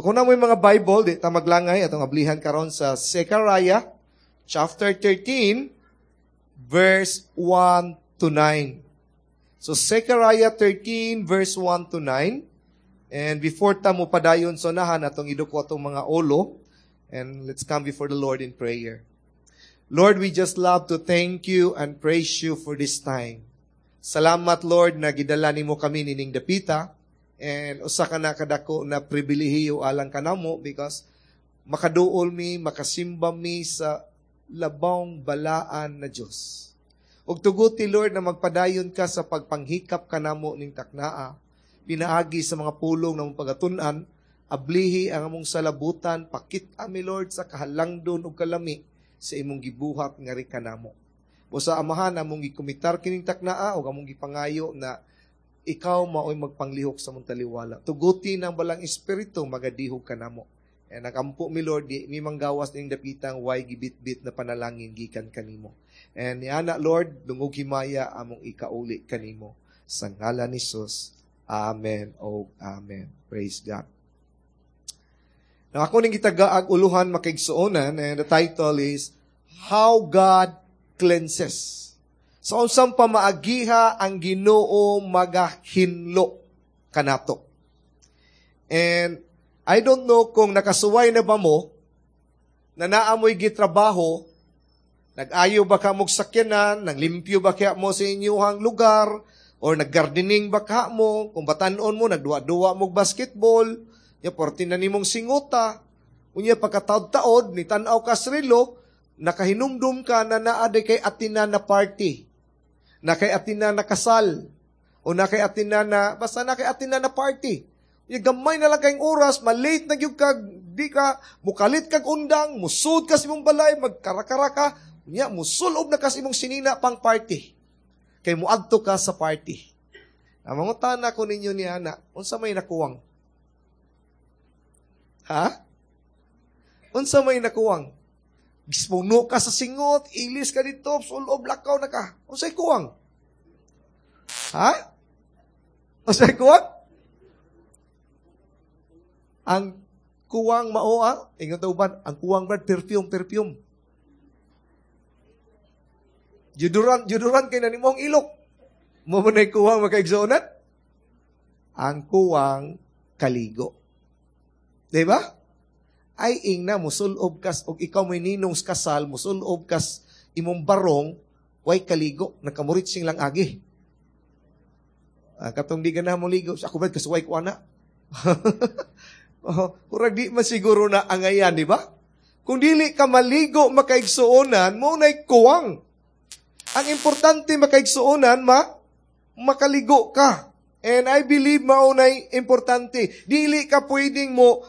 Kung naa moy mga Bible, di ta maglangay, atong ablihan karon sa Zechariah chapter 13, verse 1 to 9. So Zechariah 13, verse 1 to 9. And before ta mo padayon sa unahan, atong iduko atong mga ulo. And let's come before the Lord in prayer. Lord, we just love to thank you and praise you for this time. Salamat, Lord, na gidala nimo kami nining dapita. And usa ka na kadako na pribilehiyo alang kanamo because makaduol mi, makasimba mi sa labong balaan na Dios. Ug tuguti, Lord, na magpadayon ka sa pagpanghikap kanamo ning taknaa, pinaagi sa mga pulong na mong pagatun-an, ablihi ang among salabutan, pakit ami, Lord, sa kahalangdon ug kalami sa imong gibuhat ngari kanamo. Busa Amahan, among gikomitar kining taknaa ug among gipangayo na ikaw maoy magpanglihok sa among taliwala. Tuguti ng Balaang Espiritu magadihog kanamo. And nagampo mi, Lord, di mi manggawas ning dapitang way gibitbit na panalangin gikan kanimo. And niana, Lord, dungog himaya among ikauli kanimo. Sa ngalan ni Jesus. Amen o Amen. Praise God. Now, ako ning gitagaag uluhan, makaigsuonan, and the title is How God Cleanses. Sa unsang pamaagiha ang Ginoo magahinlo kanato. And I don't know kung nakasuway na ba mo na naamoy gitrabaho, nag-ayo ba ka mo sakyanan, naglimpyo ba kaya mo sa inyuhang lugar, or naggardening ba ka mo, kung batanon mo, nagduwa-duwa mo basketball, ya porti na nimong singuta, unya pagkataod-taod, ni tan-aw ka sa relo, nakahinumdum ka na naa kay atina na party, na kay atina na kasal, o na kay atina na, basta na kay atina na party. Unya gamay na lang kayong oras, malate na gyud ka, di ka, mukalit kag undang, musud ka sa imong balay, magkarakara ka, unya, musulob na ka sa imong sinina pang party. Kay muadto ka sa party. Ang mangutana ko ninyo ni ana, unsa may nakuwang? Ha? Unsa may nakuwang? Gispuno ka sa singot, ilis ka dito, sulob, lakaw na ka. Unsay kuwang? Ha? Unsay kuwang? Ang kuwang mao ah, ingon ta uban, ang kuwang, brad, perfume, perfume. Deodorant, deodorant kay nanimo ang ilok. Mao man ay kuwang, makaigsuonan? Ang kuwang kaligo. Di ba? Ay ingna musulob kas og ikaw may ninong sa kasal, musulob kas imong barong, way kaligo, nakamuritsing lang agi. Ah, katong di ganahan mo ligo, ako ba kasuway ko ana? Oh, kurag di man siguro na angayan, di ba? Kung dili ka maligo, makaigsuonan, mao na'y kuwang. Ang importante, makaigsuonan, makaligo ka. And I believe mao na'y importante. Dili ka pwedeng mo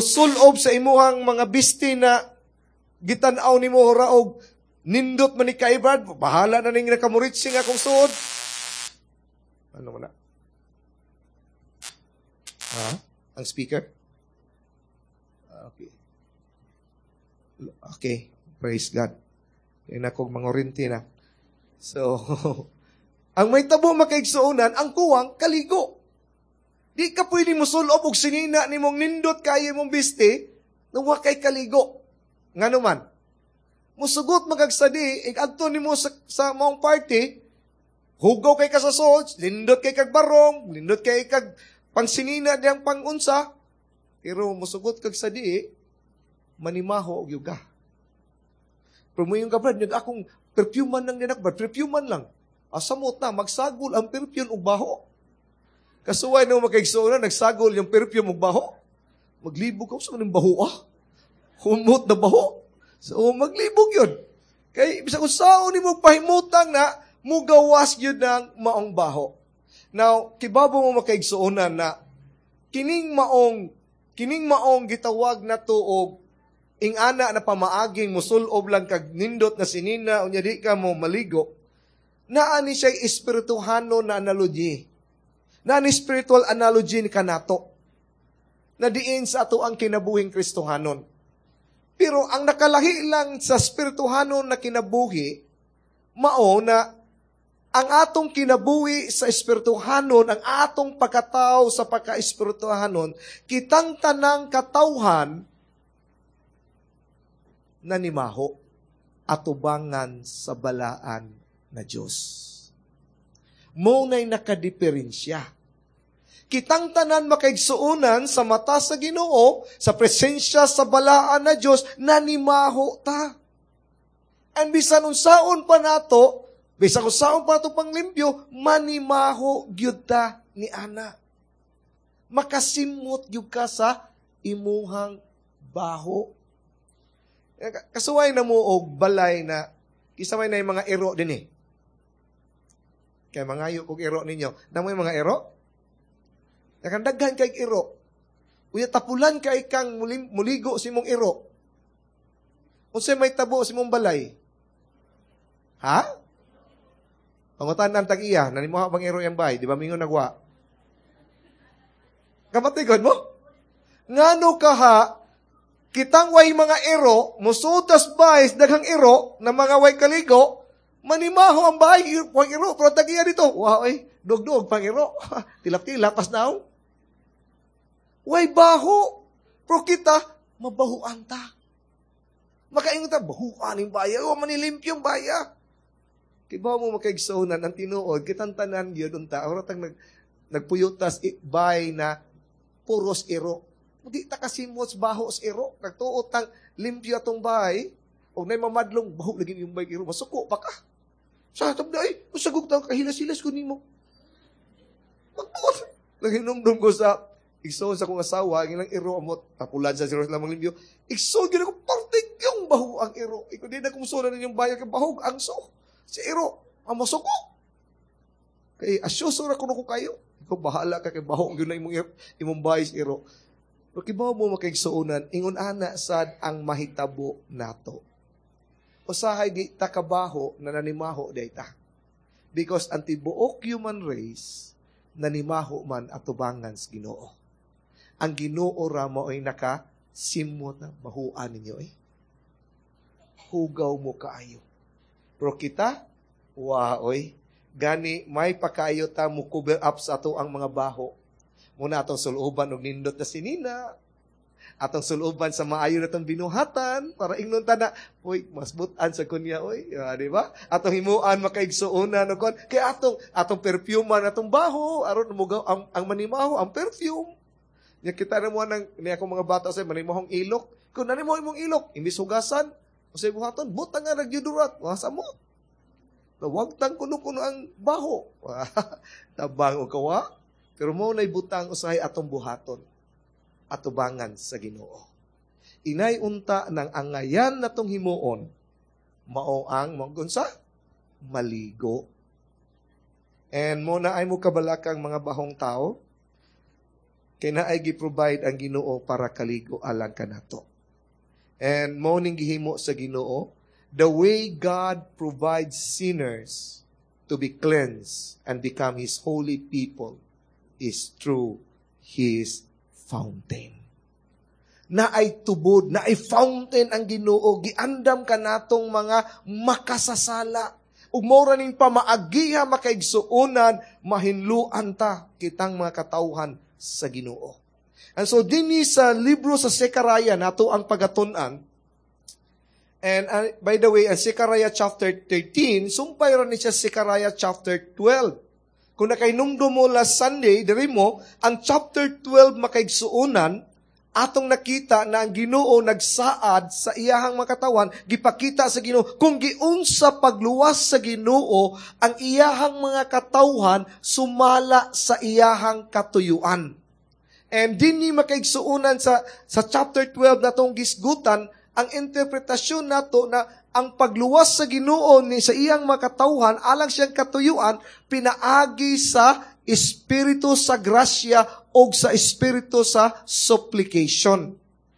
sulob sa imuhang mga bisti na gitan-aw nimo raog nindot man ni kay, brad, bahala na ning nakamuritsing akong suod. Ano mo na? Ha? Ang speaker? Okay. Okay. Praise God. Kaya na kong mangurinti na. So, ang may tabo, makaigsuonan, ang kuwang, kaligo. Di ka pwede musulob og sinina nimong nindot kayo mong bisti, na wa kay kaligo. Ngano man? Musugot magagsadi, adto nimo sa maong party, hugaw kay ka sa suod, nindot kay kag barong, nindot kay kag pangsinina diyang pangunsa, pero musugot kag sadi, manimaho og yuga. Pero mo yung ka, brad, nag akong perfume man lang dinak, brad, perfume man lang. Asamot na, magsagol ang perfume og baho. Kasuway na makaigsuonan, nagsagol yung perfume og baho. Maglibog ka, sa maning baho ah? Humot na baho. So, maglibog yun. Kay, bisag unsaon nimo pahimutang na, mugawas yun ng maong baho. Now, kibabo mo, makaigsuonan, na kining maong gitawag na tuog ingana na pamaaging musulob lang kag nindot na sinina unya di ka mo maligo, naa ni siya espirituhano na analogy. Naa ni spiritual analogy ni kanato na diin sa ato ang kinabuhing Kristohanon. Pero ang nakalahi lang sa spirituhanon na kinabuhi, mao na Ang atong kinabuhi sa espirituhanon, ang atong pagkatao sa pagka-espirituhanon, kitang tanang katawhan nanimaho atubangan sa balaan na Diyos. Mao na'y nakadiferensya. Kitang tanan makaigsuonan sa mata sa Ginoo, sa presensya sa balaan na Diyos, nanimaho ta. And bisan unsaon pa nato, bisan unsaon pa nato panglimpyo, manimaho gyud ta ni ana. Makasimot gyud ka sa imuhang baho. Kasuway na mo og balay na isa may na yung mga iro din eh. Kaya mangayo kog iro ninyo. Namo yung mga iro? Nakandaghan kay iro. Unya tapulan kay kang muligo sa imong iro. Unsay may tabo sa imong balay? Ha? Pangutan ang tag-iya, nanimuha bang iro yang bay? Di ba mingon nagwa? Kamatigod mo? Ngano ka ha, kitang way mga iro, musutas bay, daghang iro, na mga way kaligo, manimaho ang bahay, way iro, pero tag-iya dito, wow, ay, dugdug pang iro, tilap-tilap, pas naong. Way baho, pero kita, mabahuan ta. Makaingon ta, bahuan yung baya, o manilimpyong baya. Kibaw mo makaigsuonan ang tinuod, kitang tanan gyud unta, ora tang nagpuyutas bay na puros iro. Di ta kasimot baho sa iro. Nagtuot tang limpyo atong bahay, og nay mamadlong baho lagi yung bay iro, masuko pa ka. Sa atong day, usagog tang kahilas-hilas ko nimo. Magtuot. Naginumdum ko sa igsoon sa akong asawa, ang ilang iro amot, tapulan sa siro lamang limpyo. Igsoon gyud ako partig yung baho ang iro. Iko di na kumusunan ninyong bahay kay bahog ang so. Si iro, ang masuko. Kay asyoso ra kuno ko kayo. Ikaw bahala ka kay baho gyud na imong bahay sa iro. Pero kibaw mo makaigsuonan, ingon ana sad ang mahitabo nato. Usahay di ta kabaho na nanimaho day ta. Because ang tibuok human race nanimaho man atubangan sa Ginoo. Ang Ginoo ra mao'y nakasimot na bahuan ninyo eh. Hugaw mo kaayo. Pero kita, waoy, gani may pakaayo ta mo cover up sa ato ang mga baho. Muna atong suluban og nindot na sinina, atong suluban sa maayo na tong binuhatan para ingnon ta na, uy, mas butan sa kunya, uy, di ba? Atong himuan makaigsuonan og kon kay atong perfume atong baho aron mugaw ang manimaho ang perfume. Nya kita na mo nang ni akong mga bata sa manimahong ilok. Kung nanimo imong ilok, imbis hugasan, unsay buhaton, butang nga nagjudurat, wasa mo. Wag tang kuno-kuno ang baho. Tabang og kawa. Pero mo na'y butang usahay atong buhaton, atubangan sa Ginoo. Inay unta ng angayan natong himuon, mao ang magunsa, maligo. And mo na ay mo kabalakang mga bahong tao, kay naay gi-provide ang Ginoo para kaligo alang kanato. And mo ning gihimo sa Ginoo, the way God provides sinners to be cleansed and become His holy people is through His fountain. Naay tubod, naay fountain ang Ginoo, giandam kanatong mga makasasala. Ug mao ra ning pamaagiha makaigsuonan, mahinluan ta kitang mga katawhan sa Ginoo. And so dinhi sa libro sa Zechariah nato ang pagatun-an. And by the way, ang Zechariah chapter 13, sumpay ra ni siya Zechariah chapter 12. Kung nakainumdum mo last Sunday, diri mo, ang chapter 12 makaigsuonan, atong nakita na ang Ginoo nagsaad sa iyahang makatawan, gipakita sa Ginoo kung giunsa pagluwas sa Ginoo ang iyahang mga katawhan sumala sa iyahang katuyuan. And dinhi makaigsuonan sa chapter 12 natong gisgutan ang interpretasyon nato na ang pagluwas sa Ginoo ni sa iyang makatawhan alang siyang katuyuan pinaagi sa espiritu sa grasya o sa espiritu sa supplication.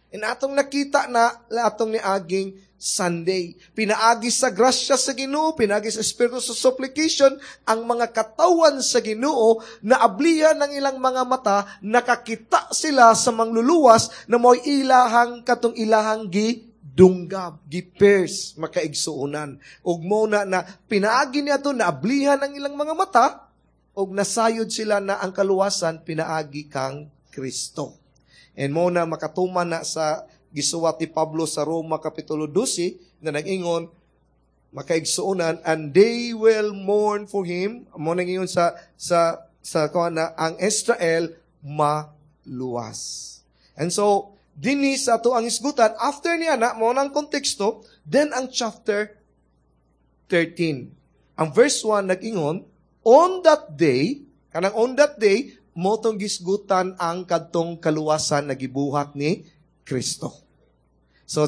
And atong nakita na atong niaging Sunday. Pinaagi sa grasya sa Ginoo, pinaagi sa espiritu sa supplication, ang mga katawan sa Ginoo na ablihan ng ilang mga mata, nakakita sila sa mangluluwas na mo'y ilahang katong ilahang gidunggan. Gidunggab, gipierce, makaigsuonan. Ug mo na na pinaagi niya to, naablihan ang ilang mga mata, ug nasayod sila na ang kaluwasan pinaagi kang Kristo. And mo na makatuman na sa gisuwat ni Pablo sa Roma Kapitulo 12 na nag-ingon, makaigsuonan, "And they will mourn for him." Mo nang sa kuan na ang Israel maluwas. And so, dinhi sa ato ang isgutan, after niya na, mo nang konteksto, then ang chapter 13. Ang verse 1 nag-ingon, "On that day," kanang "on that day," mo tong gisgutan ang kadtong kaluwasan na gibuhat ni Kristo. So,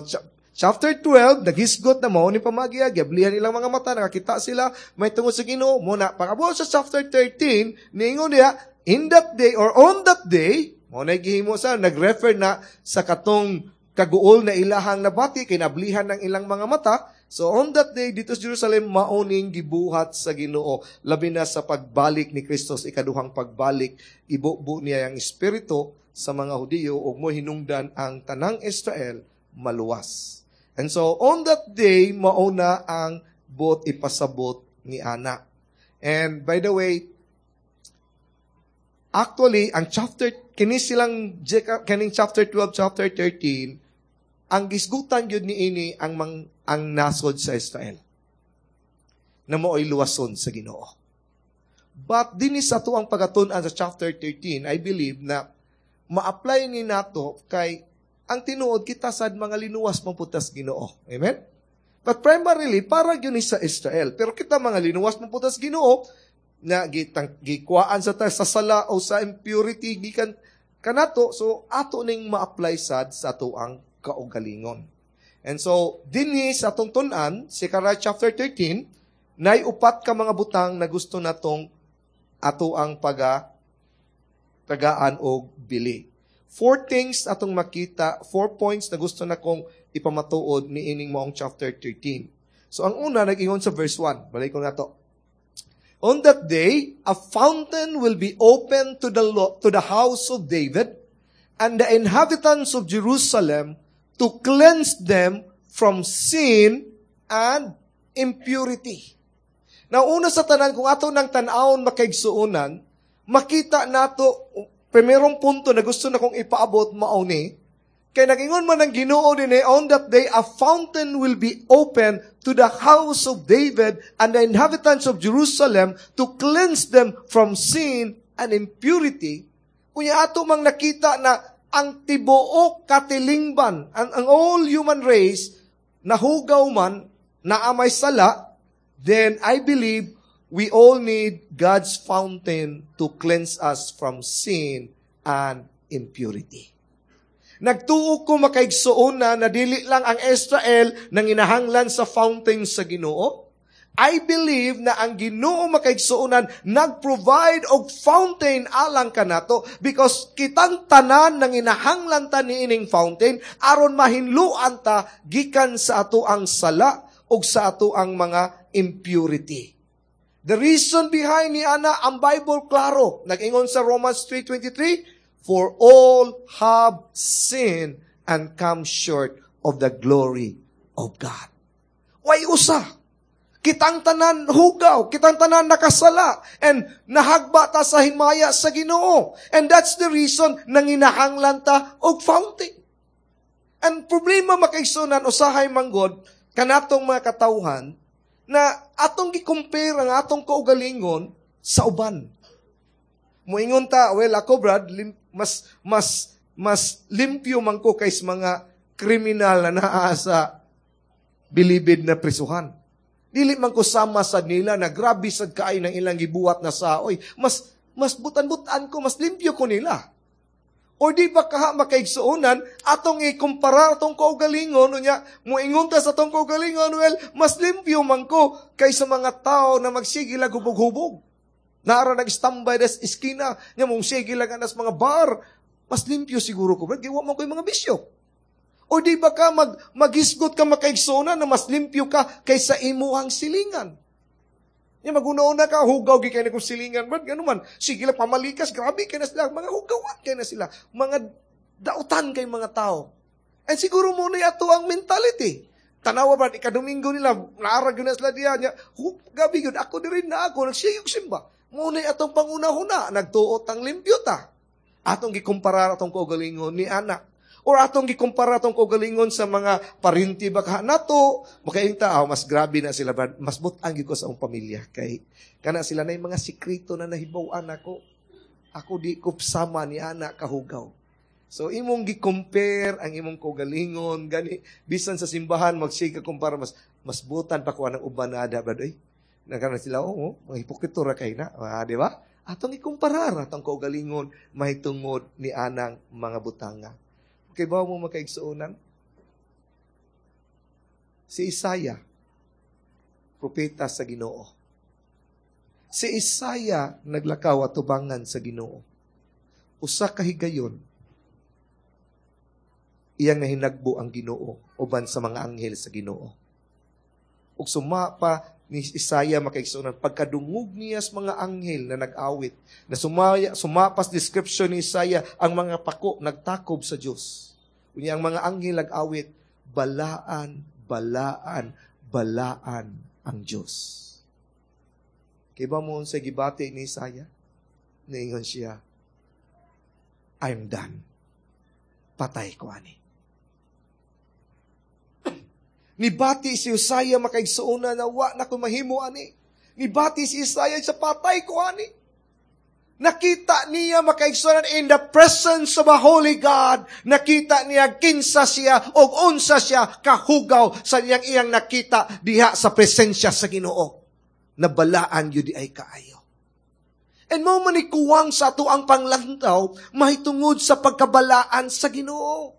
chapter 12, naghisgot na mao ni pamagiya, giablihan ilang mga mata, nakakita sila, may tungod sa Ginoo, mo na, pag-abot sa chapter 13, niingon niya, "In that day," or "on that day," mo na gihimo sa, nag-refer na sa katong kaguol na ilahang nabati, kinablihan ng ilang mga mata. So on that day, dito sa Jerusalem, maoning gibuhat sa Ginoo. Labi na sa pagbalik ni Kristo, sa ikaduhang pagbalik, ibubo niya ang Espiritu sa mga Hudiyo, ug mo hinungdan ang tanang Israel maluwas. And so, on that day, mauna ang buot ipasabot ni ana. And by the way, actually, ang chapter, kini silang, kining chapter 12, chapter 13, ang gisgutan yun ni ini ang nasod sa Israel na mooy luwason sa Ginoo. But dinhi sa ato ang pagatun-an sa chapter 13, I believe na ma-apply ni nato kay ang tinuod kita sad mga linuwas man pud tas Ginoo. Amen? But primarily, para yun ni sa Israel. Pero kita mga linuwas man pud tas Ginoo, na gitang gikuhaan sa sala o sa impurity gikan kanato, so ato ning ma-apply sad sa ato ang kaugalingon. And so, dinhi sa atong tun-an, Zechariah chapter 13, nay upat ka mga butang na gusto natong ato ang tagaan og bili. Four things atong makita, four points na gusto na kong ipamatuod ni ining maong chapter 13. So ang una, nag-ingon sa verse 1. Balik ko na to. "On that day, a fountain will be open to the house of David and the inhabitants of Jerusalem to cleanse them from sin and impurity." Now, una sa tanan, kung ato nang tan-awon, makaigsuonan, makita nato, primerong punto na gusto na kong ipaabot mao ni, kay nagingon man ang Ginoo dinhi, "On that day, a fountain will be open to the house of David and the inhabitants of Jerusalem to cleanse them from sin and impurity." Kunya ato mang nakita na ang tibuok katilingban, ang all human race, nahugaw man, naa may sala, then I believe we all need God's fountain to cleanse us from sin and impurity. Nagtuo ko, makaigsuon, na dili lang ang Israel nang inahanglan sa fountain sa Ginoo. I believe na ang Ginoo, makaigsuonan, nag-provide og fountain alang kanato because kitang tanan nang inahanglan ta niining fountain aron mahinluan ta gikan sa ato ang sala ug sa ato ang mga impurity. The reason behind ni ana, ang Bible klaro. Nag-ingon sa Romans 3:23, "For all have sinned and come short of the glory of God." Way usa. Kitang tanan hugaw, kitang tanan nakasala, and nahagba ta sa himaya sa Ginoo. And that's the reason nanginahanglan ta og fountain. Ang problema, makaigsunan, usahay manggod kanatong mga katawhan na atong gi-compare ang atong kaugalingon sa uban. Muingon ta, "Well, ako, Brad, lim, mas mas mas limpyo man ko kaysa mga kriminal na naa sa bilibid na prisuhan. Dili man ko sama sa nila na grabe sad kaay ng ilang gibuhat na saoy. Mas butan-butan ko, mas limpyo ko nila." Or di ba kaha, makaigsuonan, atong ikumpara atong kaugalingon, unya, muingon ta sa atong kaugalingon, "Well, mas limpyo man ko kaysa mga tao na magsige lang hubog-hubog. Nara nag-standby des iskina, nya mong sige lang anas mga bar. Mas limpyo siguro ko, brad, giwa man ko yung mga bisyo." O di ba ka maghisgot ka, makaigsuonan, na mas limpyo ka kaysa imuhang silingan? Ya maguna-una ka, "Hugaw gi kay kong silingan, brad, gano man. Sige lang pamalikas, grabe kay na sila, mga hugawan kay na sila, mga dautan kay mga tao." And siguro mao na ato ang mentality. Tanawa ba, ikadomingo nila, naarag yun na sila diya, niya, gabi yun, ako din na ako, nagsiyog simba. Mao na atong panguna-huna, nagtuot ang limpyo ta. Atong gikumpara atong kaugalingon ni anak. Or atong gikumpara atong kaugalingon sa mga parinti baka nato, makainta, oh, mas grabe na sila, mas butang gyud ko sa akong pamilya. Kay, kana sila na yung mga sikreto na nahibaw-an ako. Ako di ko sama ni anak kahugaw. So, imong gi-compare ang imong kaugalingon, gani, bisan sa simbahan, magsiga kumpara, mas butan pa ko ang uban na ada, brad, oy. Nagkaroon sila, oh, mga hipokrito ra kay na, di ba? Atong ikumparar atong kaugalingon, mahitungod ni anang mga butanga. Okay ba mo makaigsuonan? Si Isaiah, propeta sa Ginoo. Si Isaiah naglakaw atubangan sa Ginoo. Usa ka higayon, iyang nahinagbo ang Ginoo uban sa mga anghel sa Ginoo. Ug suma pa ni Isaiah makaigsuonan, pagkadungog niya sa mga anghel na nag-awit, na sumapas description ni Isaiah, ang mga pako nagtakob sa Dios. Unya ang mga anghel nag-awit, "Balaan, balaan, balaan ang Dios." Kay ba mo sa gibati ni Isaiah? Niingon siya, "I'm done. Patay ko ani." Nibati si Isaiah makaigsuonan na wa na ko mahimo ani. Nibati si Isaiah sa patay ko ani. Nakita niya makaigsuonan in the presence of a holy God. Nakita niya kinsa siya o unsa siya kahugaw sa iyang iyang nakita diha sa presensya sa Ginoo. Nabalaan yun di ay kaayo. And mao man ni kuwang sa ato ang panglantaw mahitungod sa pagkabalaan sa Ginoo.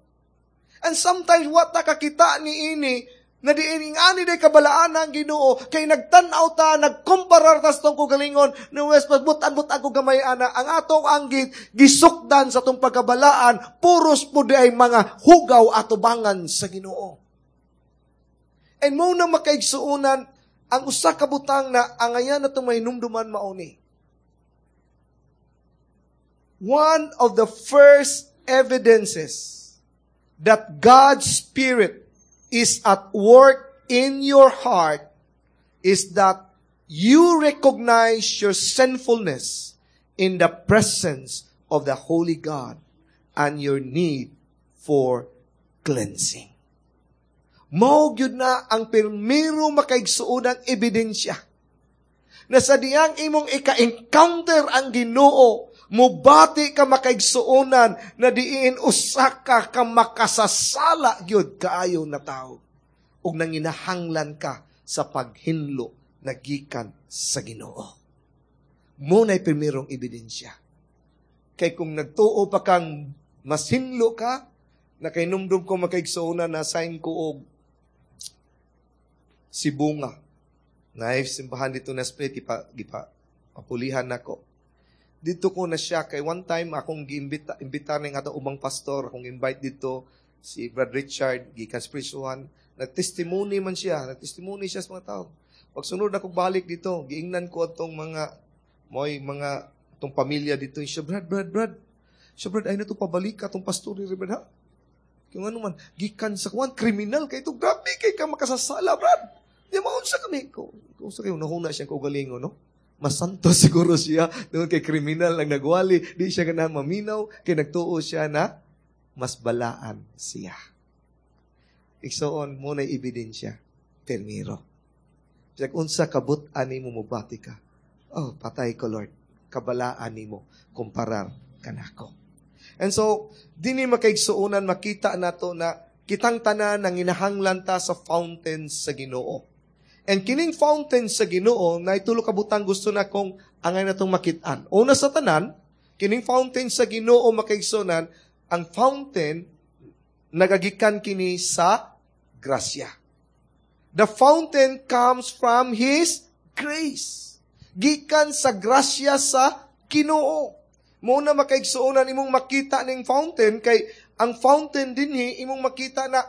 And sometimes wa ta kakita ni ini na diin ani day kabalaan ang Ginoo kay nagtan-aw ta, nagkumparar ta sa atong kaugalingon na wes butan-butan ko gamay ana ang atong anggit gisukdan sa atong pagkabalaan puros po di ay mga hugaw atubangan sa Ginoo. And mao na makaigsuonan ang usa ka butang na angayan natong mahinumduman mao ni. One of the first evidences that God's Spirit is at work in your heart is that you recognize your sinfulness in the presence of the Holy God and your need for cleansing. Mao gyud na ang pirmiro makaigsuonang ebidensya na sa diyang imong ika-encounter ang Ginoo, mubati ka makaigsuonan na diin usa ka ka makasasala gyud kaayo na tao. Ug nanginahanglan ka sa paghinlo na gikan sa Ginoo. Mao na'y primerong ebidensya. Kay kung nagtuo pa kang masinlo ka, nakainumdum ko makaigsuonan na sign ko og Sibonga. Naay simbahan dito na split, gipa, papulihan nako. Dito ko na siya, kay one time akong giimbita, imbita ning atong ubang pastor, akong invite dito, si Brad Richard, gikan Spiritual, nagtestimony man siya, nagtestimony siya sa mga tao. Pagsunod ako balik dito, giingnan ko atong mga, moy mga, atong pamilya dito, siya, "Brad, Brad, Brad, siya, Brad, ay na ito pabalik ka atong pastor ni Brad, ha? Kung ano man, gikan sa kuwan, kriminal kay ito, grabe kay ka makasasala, Brad. Di maunsa kami. Kung sa kayo, nahuna siya kaugalingon, no? Masanto siguro siya. Doon kay kriminal lang nagwali. Di siya ganahan maminaw. Kay nagtuo siya na mas balaan siya. Igsoon mao na ebidensya. Permiro. Kaya unsa kabut-an nimo mubati ka. "Oh, patay ko, Lord. Kabalaan nimo kumparar kanako." And so, dini makaigsuonan makita nato na kitang tanan nang inahanglan ta sa fountain sa Ginoo. And kining fountain sa Ginoo na itulo ka butang gusto na kong angay natong makit-an. Una sa tanan, kining fountain sa Ginoo makaigsuonan, ang fountain nagagikan kini sa grasya. The fountain comes from His grace. Gikan sa grasya sa Ginoo. Mao na makaigsuonan imong makita ning fountain kay ang fountain dinhi imong makita na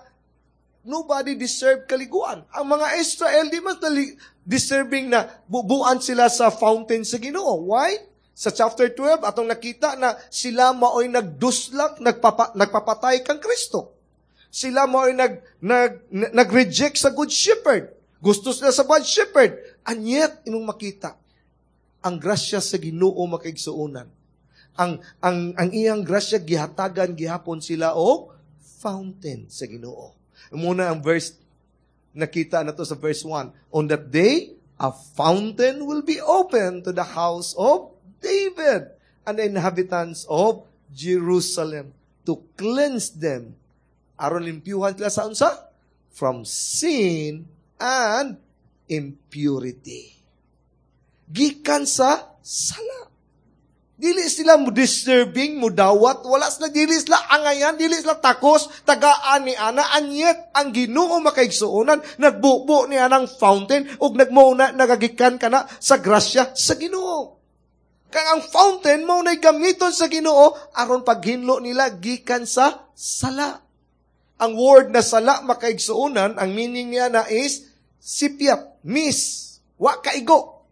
nobody deserve kaliguan. Ang mga Israel di man deserving na bubuan sila sa fountain sa Ginoo. Why? Sa chapter 12 atong nakita na sila maoy nagduslak, nagpapatay kang Kristo. Sila mo ay nag-reject sa good shepherd. Gusto sila sa bad shepherd. And yet, imong makita, ang grasya sa Ginoo, makaigsuonan. Ang iyang grasya gihatagan gihapon sila og fountain sa Ginoo. Muna ang verse nakita na to sa verse 1. "On that day, a fountain will be open to the house of David and the inhabitants of Jerusalem to cleanse them." Aron limpyuhan sila sa unsa? From sin and impurity. Gikan sa sala. Dili sila mo deserving, mo dawat, wala sila, dili sila angayan, dili sila takos, tagaan ni ana, and yet, ang Ginoo, makaigsuonan, nagbubo ni anang fountain, ug nagmuna, nagagikan ka na sa grasya sa Ginoo. Kang ang fountain mo na'y gamiton sa Ginoo, aron paghinlo nila gikan sa sala. Ang word na sala, makaigsuonan, ang meaning niya na is sipyat, miss, wa kaigo.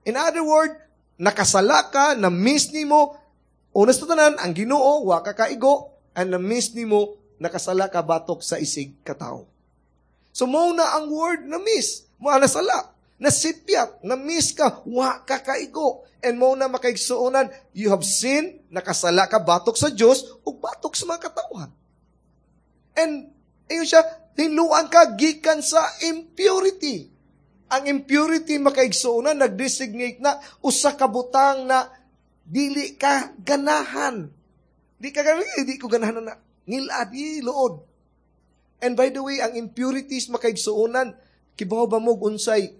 In other word, nakasala ka, na-miss nimo, una sa tanan, ang Ginoo, wa ka kaigo, and na-miss nimo, nakasala ka batok sa isig katao. So, mo na ang word na miss, mo na sala, nasipyat, na-miss ka, wa ka kaigo. And mo na, makaigsuonan, you have sinned, nakasala ka batok sa Diyos, ug batok sa mga katawhan. And, ayun siya, hinluan ka gikan sa impurity. Ang impurity, makaigsuonan, nag-designate na usa ka butang na dili ka ganahan. Di ka ganahan, di ko ganahan na ngilad, di luod. And by the way, ang impurities, makaigsuonan, kibaw ba mo unsay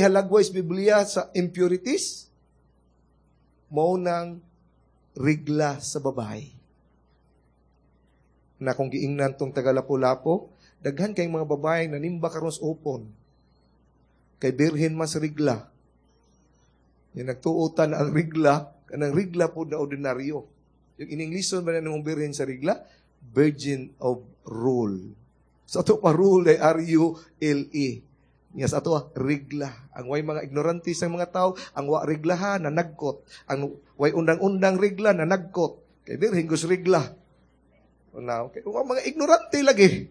halagway sa Biblia sa impurities? Mao nang rigla sa babae. Na kung giingnan tong taga-Lapu-Lapu, daghan kay mga babae nanimba karon sa upon. Kay birhen man sa rigla. Yung nagtuotan na ang rigla, kanang rigla po na ordinaryo. Yung in-Englishon ba na nung birhen sa rigla? Virgin of Rule. Sa ato pa rule ay rule. Nga sa ato rigla. Ang way mga ignorante sa mga tao, ang wa riglaha na nagkot. Ang way undang-undang rigla na nagkot. Kay birhen gus rigla. Now, kay mga ignorante lagi.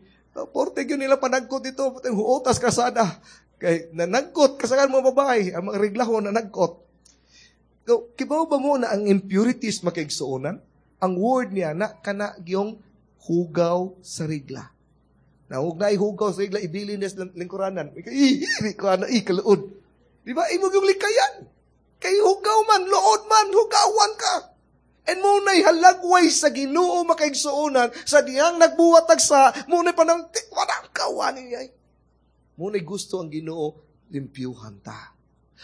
Porte yun nila panagkot dito, huotas kasada. Kay nanagkot kasagan mga babae, ang mga riglaho nanagkot. So, kibaw ba mo na ang impurities, makaigsuonan? Ang word niya na kana gyong hugaw sa rigla. Na huwag na hugaw sa rigla, ibilin niya sa lingkuranan. Ih, ko ana, kaluod. Di ba? Imo yung likayan. Kay hugaw man, luod man, hugawan ka. And mo na'y halagway sa Ginoo, makaigsuonan, sa diyang nagbuhat sa, mo na'y panang, walang kawan niya. Mo na'y gusto ang Ginoo, limpyuhan ta.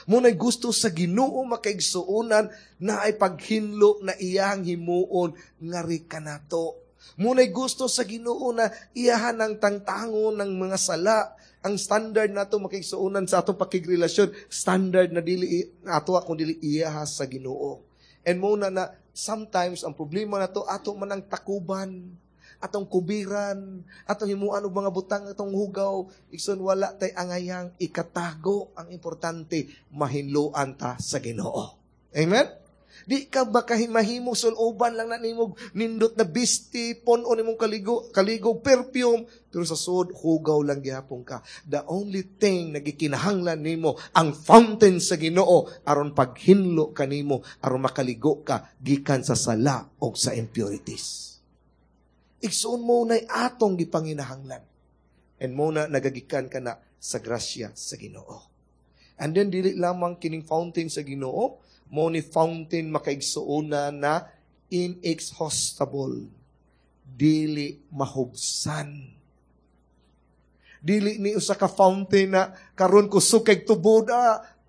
Mo na'y gusto sa Ginoo, makaigsuonan, na ay paghinlo na iyang himuon, ngari kanato. Mo na'y gusto sa Ginoo na iyahan ang tangtangon ng mga sala. Ang standard nato, makaigsuonan, sa atong pakigrelasyon, standard na dili ato kung dili iyaha sa Ginoo. And mo na na sometimes ang problema nato ato man ang takuban, atong kubiran, atong himuan og mga butang, atong hugaw, igsoon wala tay angayang ikatago. Ang importante, mahinloan ta sa Ginoo. Amen? Di ka ba kahimahimo suloban lang na nimo nindot na bisti, pon-on nimong kaligo, kaligog perfume, pero sa sud hugaw lang gihapon ka. The only thing na gikinahanglan nimo ang fountain sa Ginoo aron paghinlo kanimo, aron makaligo ka gikan sa sala og sa impurities. Igsoon mo na'y atong gipanginahanglan. And mo na nagagikan ka na sa grasya sa Ginoo. And then dili lamang kining fountain sa Ginoo, mo ni fountain, makaigsuonan, na inexhaustible. Dili mahubsan. Dili ni usa ka fountain na karon kusog kay tubod,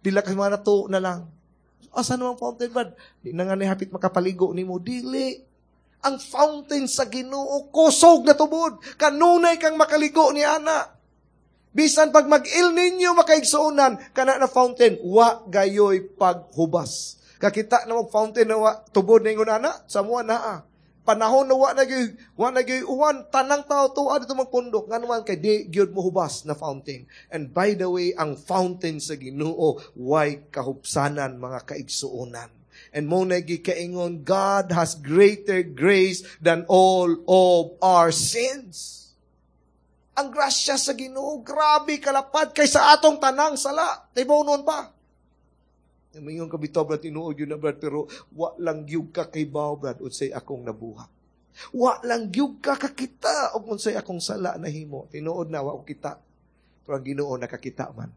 pila ka mga to na lang. Asa naman fountain ba? Di na nga ni hapit makapaligo nimo dili. Ang fountain sa Ginoo kusog na tubod. Kanunay kang makaligo ni ana. Bisan pag mag-il ninyo, makaigsuonan, kana na fountain, wa gayoy paghubas. Kakita na mag fountain na wa, tubod na ingon ana, sa mua naa. Panahon na wa na gyud uwan, tanang tao tuwa dito magpundok. Ngano man kay di gyud mo hubas na fountain. And by the way, ang fountain sa Ginoo way kahupsanan, mga kaigsuonan. And mao na gikaingon, God has greater grace than all of our sins. Ang grasya sa Ginoo, grabe kalapad kaysa atong tanang sala. Tibaw nun pa. Mingon ka bitaw, Brad, tinuod yun na, Brad, pero wa lang gyud ka kay Brad, unsay akong nabuhat. Wa lang gyud ka kakita og unsay akong sala nahimo. Tinuod na wa ko kita. Pero ang Ginoo nakakita man.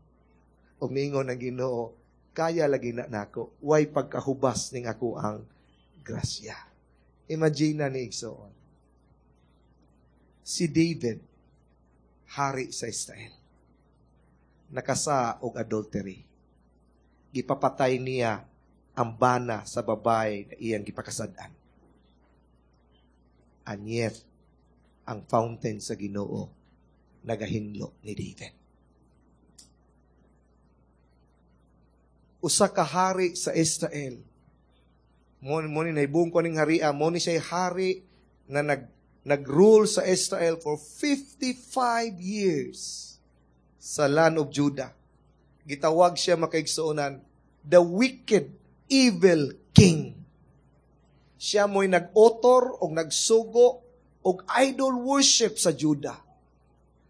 Ug miingon ang Ginoo, kaya lagi na nako. Way pagkahubas ning ako ang grasya. Imagine na ni igsoon. Si David, hari sa Israel, nakasa og adultery. Gipapatay niya ang bana sa babae na iyang gipakasad-an. And yet, ang fountain sa Ginoo nagahinlo ni David. Usa ka hari sa Israel. Mo ni nahibong ko ning haria, mo ni siya hari na nag-rule sa Israel for 55 years sa land of Judah. Gitawag siya, makaigsuonan, the wicked, evil king. Siya mo'y nag-otor o nagsugo og idol worship sa Judah.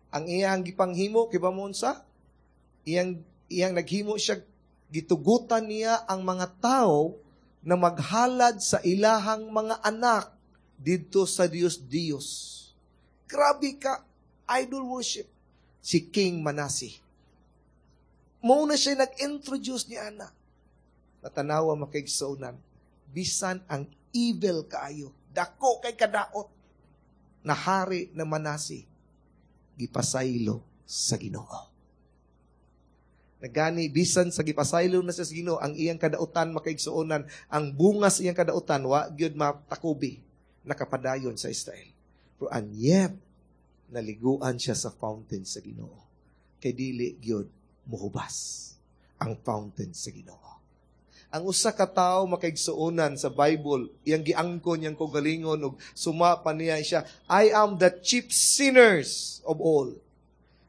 Ang iyang gipanghimo, kiba mo unsa? Iyang naghimo siya, gitugutan niya ang mga tao na maghalad sa ilahang mga anak didto sa Dios Dios. Grabe ka, idol worship. Si King Manasi. Mao na siya nag-introduce ni ana. Natanawa, makaigsuonan, bisan ang evil kaayo, dako kay kadaot, na hari na Manasi, gipasaylo sa Ginoo. Nagani, bisan sa gipasaylo na sa Ginoo, ang iyang kadautan, makaigsuonan, ang bunga sa iyang kadautan, wa gyud matakubi, nakapadayon sa Israel. Pero and yet, naliguan siya sa fountain sa Ginoo. Kay dili gyud muhubas ang fountain sa Ginoo. Ang usa ka tawo, makaigsuonan, sa Bible, iyang giangkon niyang kaugalingon ug suma pa niya siya, "I am the chief sinners of all."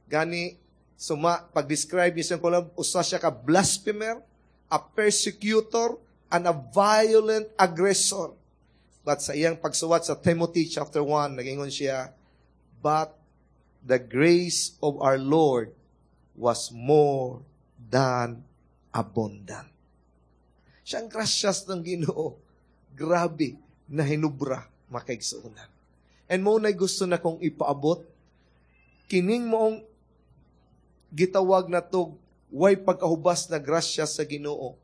Gani suma pag-describe niya siyang kulam, usa siya ka blasphemer, a persecutor, and a violent aggressor. But sa iyang pagsuwat sa Timothy chapter 1, nagingon siya, "But the grace of our Lord was more than abundant." Siyang grasyas ng Ginoo. Grabe na hinubra, makaigsuonan. And mao na gusto na kong ipaabot, kining moong gitawag na to way pagkahubas na grasya sa Ginoo.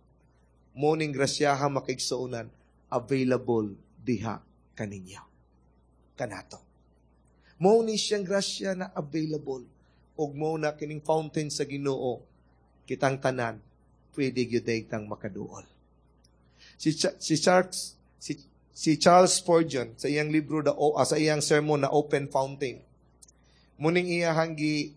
Mao ning grasyaha, makaigsuonan, available diha kaninyo. Kanato. Mao ni siyang grasya na available. Ug mao na kining fountain sa Ginoo, kitang tanan pwede gyud tang makaduol. Si Charles Spurgeon sa iyang libro the sa iyang sermon na Open Fountain. Muning iyahang gi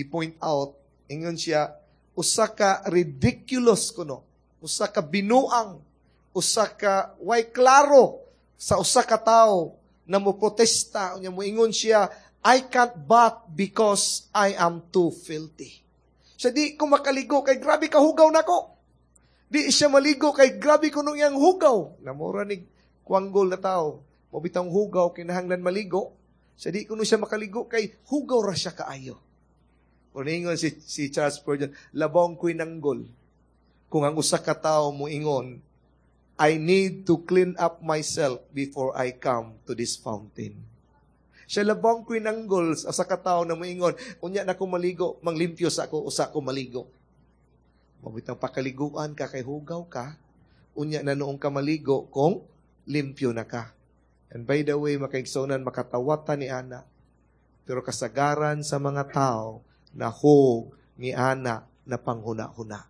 point out, ingon siya, usa ka ridiculous kuno, usa ka binuang, usa ka way klaro sa usa ka tawo na mo protesta unya moingon siya, "I can't bath because I am too filthy." Siya, di ko makaligo kay grabe ka hugaw nako. Di siya maligo kay grabe kuno iyang hugaw. Namura ni kwanggol na tao. Mao bitang hugaw, kinahanglan maligo. Siya, di kuno siya makaligo kay hugaw ra siya kaayo. O niingon si Charles Spurgeon, labong ko'y nanggol kung ang usa ka tawo moingon, "I need to clean up myself before I come to this fountain." Siya, labong ko'y nanggol sa usa ka tawo na moingon, "Unya na ko maligo, manglimpyo sa ako, usa ko maligo." Mabitang pakaliguan ka kay hugaw ka, unya na noong ka maligo kung limpyo na ka. And by the way, makaigsuonan, makatawatan ni ana. Pero kasagaran sa mga tao, nahog ni ana na panghuna-huna.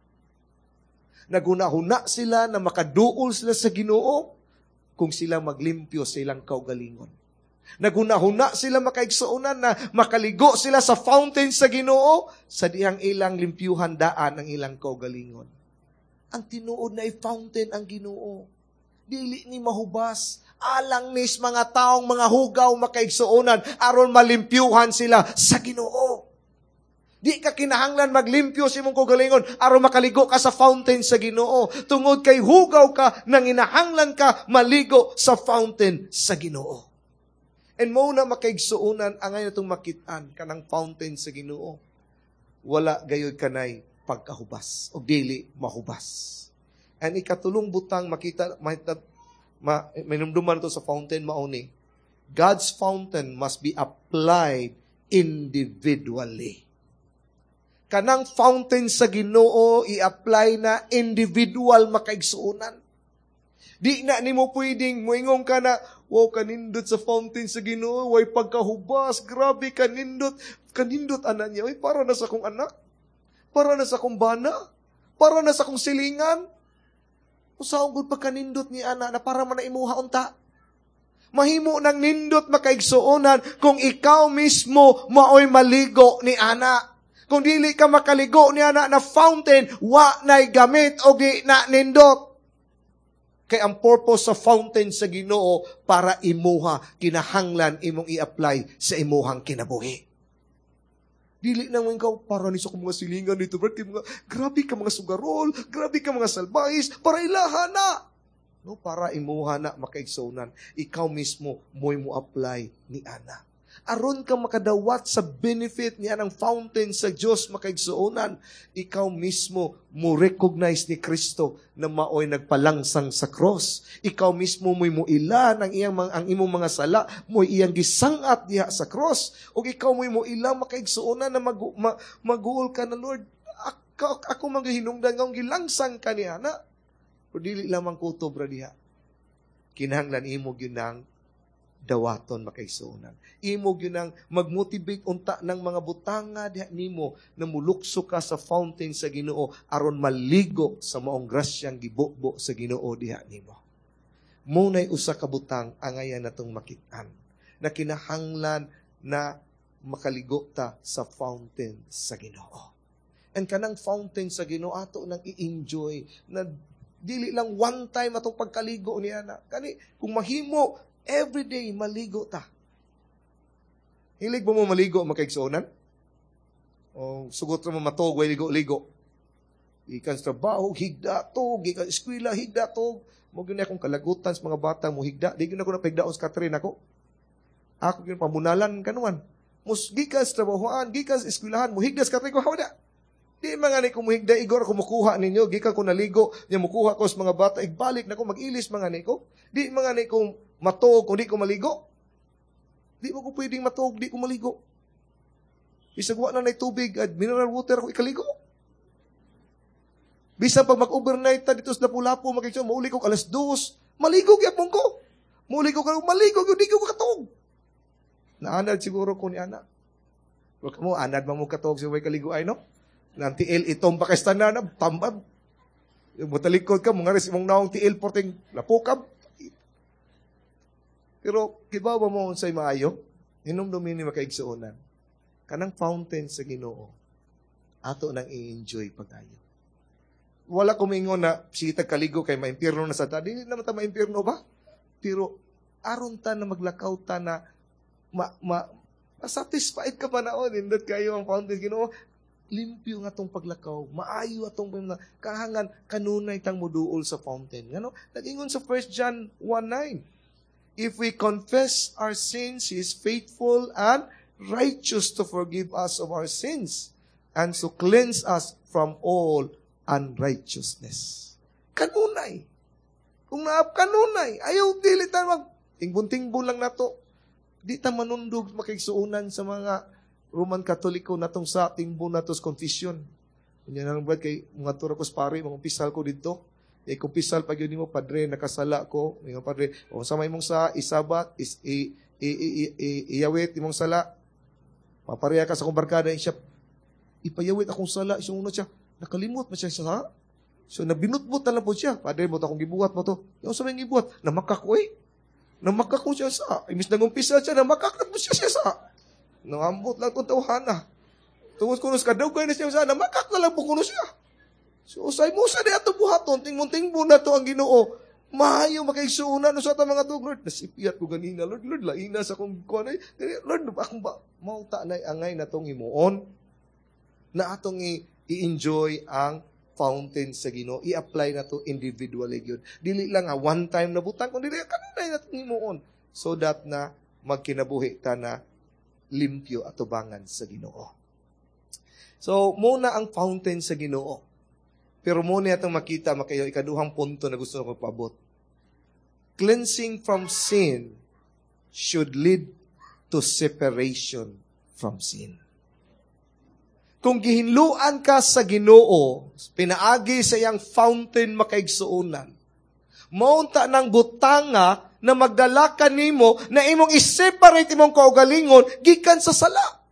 Naghuna-huna sila na makaduol sila sa Ginoo kung sila maglimpyo sa ilang kaugalingon. Naghuna-huna sila, makaigsuonan, na makaligo sila sa fountain sa Ginoo sa dihang ilang limpyuhan daan ang ilang kaugalingon. Ang tinuod na fountain ang Ginoo. Dili ni mahubas. Alang nis mga taong mga hugaw, makaigsuonan, aron malimpyuhan sila sa Ginoo. Di ka kinahanglan maglimpyo sa imong kaugalingon aron makaligo ka sa fountain sa Ginoo. Tungod kay hugaw ka, nanginahanglan ka maligo sa fountain sa Ginoo. And mao na, makaigsuonan, angay natong makitaan kanang fountain sa Ginoo. Wala gayud kanay pagkahubas o dili mahubas. And ikatulong butang makita ma, minumduman to sa fountain mao ni God's fountain must be applied individually. Kanang fountain sa Ginoo, i-apply na individual, makaigsuonan. Di na nimo pwedeng moingon ka na, "Wow, kanindot sa fountain sa Ginoo, way pagkahubas, grabe kanindot, kanindot ana niya, oy, para na sa akong anak, para na sa akong bana, para na sa akong silingan." Usaon gud pagkanindot ni ana na para man na imuha unta? Mahimo nang nindot, makaigsuonan, kung ikaw mismo maoy maligo ni ana. Kung dili ka makaligo ni ana na fountain, wa na'y gamit o di na nindot. Kay ang purpose sa fountain sa Ginoo para imuha, kinahanglan imong i-apply sa imuhang kinabuhi. Dili nang ikaw, "Para ni sa akong mga silingan dito, Brad, kay mga, grabe ka mga sugarol, grabe ka mga salbahis, para ilaha na." No, para imuha na, makaigsuonan. Ikaw mismo mo'y mo apply ni ana. Aron ka makadawat sa benefit niya ng fountain sa Dios, makaigsuonan, ikaw mismo mo recognize ni Kristo na maoy nagpalangsang sa cross. Ikaw mismo mo'y muila ng iyang ang imong mga sala, mo'y iyang gisangat diha sa cross. Ug ikaw mo'y muila, makaigsuonan, na maguol ka na, "Lord, ako magahinungdan nga gilangsang ka niya na." Pero dili lamang kutob ra diha. Kinahanglan imo gyud nang dawaton, makaigsuonan. Imo gyud nang magmotivate unta ng mga butanga diha nimo na mulukso ka sa fountain sa Ginoo aron maligo sa maong grasyang gibubo sa Ginoo diha nimo. Mao nay usa ka butang angayan natong makit-an na kinahanglan na makaligo ta sa fountain sa Ginoo. And kanang fountain sa Ginoo, ato nang i-enjoy na dili lang one time atong pagkaligo niya na. Kani kung mahimo every day maligo ta. Hilig ba mo maligo, makaigsuonan? O sugot mo matog way ligo-ligo? Gikan sa trabaho, higda to, gikan eskwela, higda to. Mao gyud akong kalagutan sa mga bata mo higda. Di gyud ako napahigdaon sa Catherine ako. Ako gyud pamunalan kanuan. Mus gikan sa trabahoan, gikan sa eskwelahan, mo higda sa Catherine ko hawda. Di man nga ni ko muhigda, igor ako mukuha ninyo, gikan ko naligo, nya mukuha ko sa mga bata, igbalik na ko, mag-ilis mga ni ko. Di man nga ni ko matuog kung di ko maligo. Di mo ko pwedeng matuog, di ko maligo. Bisag wa na nay tubig at mineral water ako ikaligo. Bisan pag mag-overnight ta dito sa Lapu-Lapu, makikita, mauli ko 2:00, maligo gyapon ko. Mauli ko, maligo, di ko katuog. Naanad siguro ko ni ana. Pero kamo, anad man mo katuog sa way kaligo ay, no? Nang tiil itong pakistana na, tambab. Yung matalikod ka, mga res, imong naong tiil, porting lapukab. Pero, kibaw ba mo unsay maayo? Hinumdumi ni, makaigsuonan. Kanang fountain sa Ginoo, ato nang i-enjoy pag-ayo. Wala ko mingon na sige kaligo kay maimpirno na sa ta. Dili naman ta maimpirno ba? Pero aron ta na maglakaw ta na ma, ma satisfied ka pa naon, nindot kayo ang fountain Ginoo, limpyo nga atong paglakaw, maayo atong mga kahangan, kanunay tang muduol sa fountain. Ngano? Nag-ingon sa 1 John 1:9, "If we confess our sins, He is faithful and righteous to forgive us of our sins and to cleanse us from all unrighteousness." Kanunay. Kung naap kanunay, ayaw dili ta mag tingbon-tingbon lang nato. Di ta manundog, makigsuonan, sa mga Roman Katoliko natong sa tingbon nato sa confession. Unya na lang, Brad, kay mga tura ko sa pare, mga umpisal ko dito. Eh, kumpisal pag yun mo, "Padre, nakasala ko." Mga padre, "O sa may mong sa isabat, is, i, i, iyawit imong sala." Mapareha ka sa akong barkada, siya, "Ipayawit akong sala." Siya una siya, nakalimot man siya sa. So, nabinutbut na lang po siya. "Padre, mo to akong gibuhat mo to." "Yung sa may gibuhat?" "Namakak ko eh." Namakak ko siya sa. Imis nangumpisa siya, namakak na po siya siya sa. Nangambot lang itong tawhana. Tungod kuno sa kadugay na siya sa, namakak na lang po kuno siya. So, usay mo sa di ato buhaton, tingbon-tingbon na to ang Ginoo. Maayo makaigsuonan sa ata mga tug, "Lord, nasipiyat ko ganina, Lord, Lord, laina sa akong kuan ay. Lord, akong ba, mauta na angay na tong himuon." Na atong i-enjoy ang fountain sa Ginoo. I-apply na to individually gyud. Dili lang nga one time na butang, kundi dili kanunay na himuon so that na magkinabuhi ta na limpyo atubangan sa Ginoo. So, muna ang fountain sa Ginoo. Pero muna atong makita makayo ikaduhang punto na gusto ko paabot. Cleansing from sin should lead to separation from sin. Kung gihinluan ka sa Ginoo, pinaagi sa iyang fountain, makaigsuonan, maunta ng butanga na magdala ka nimo na imong i-separate imong kaugalingon gikan sa sala.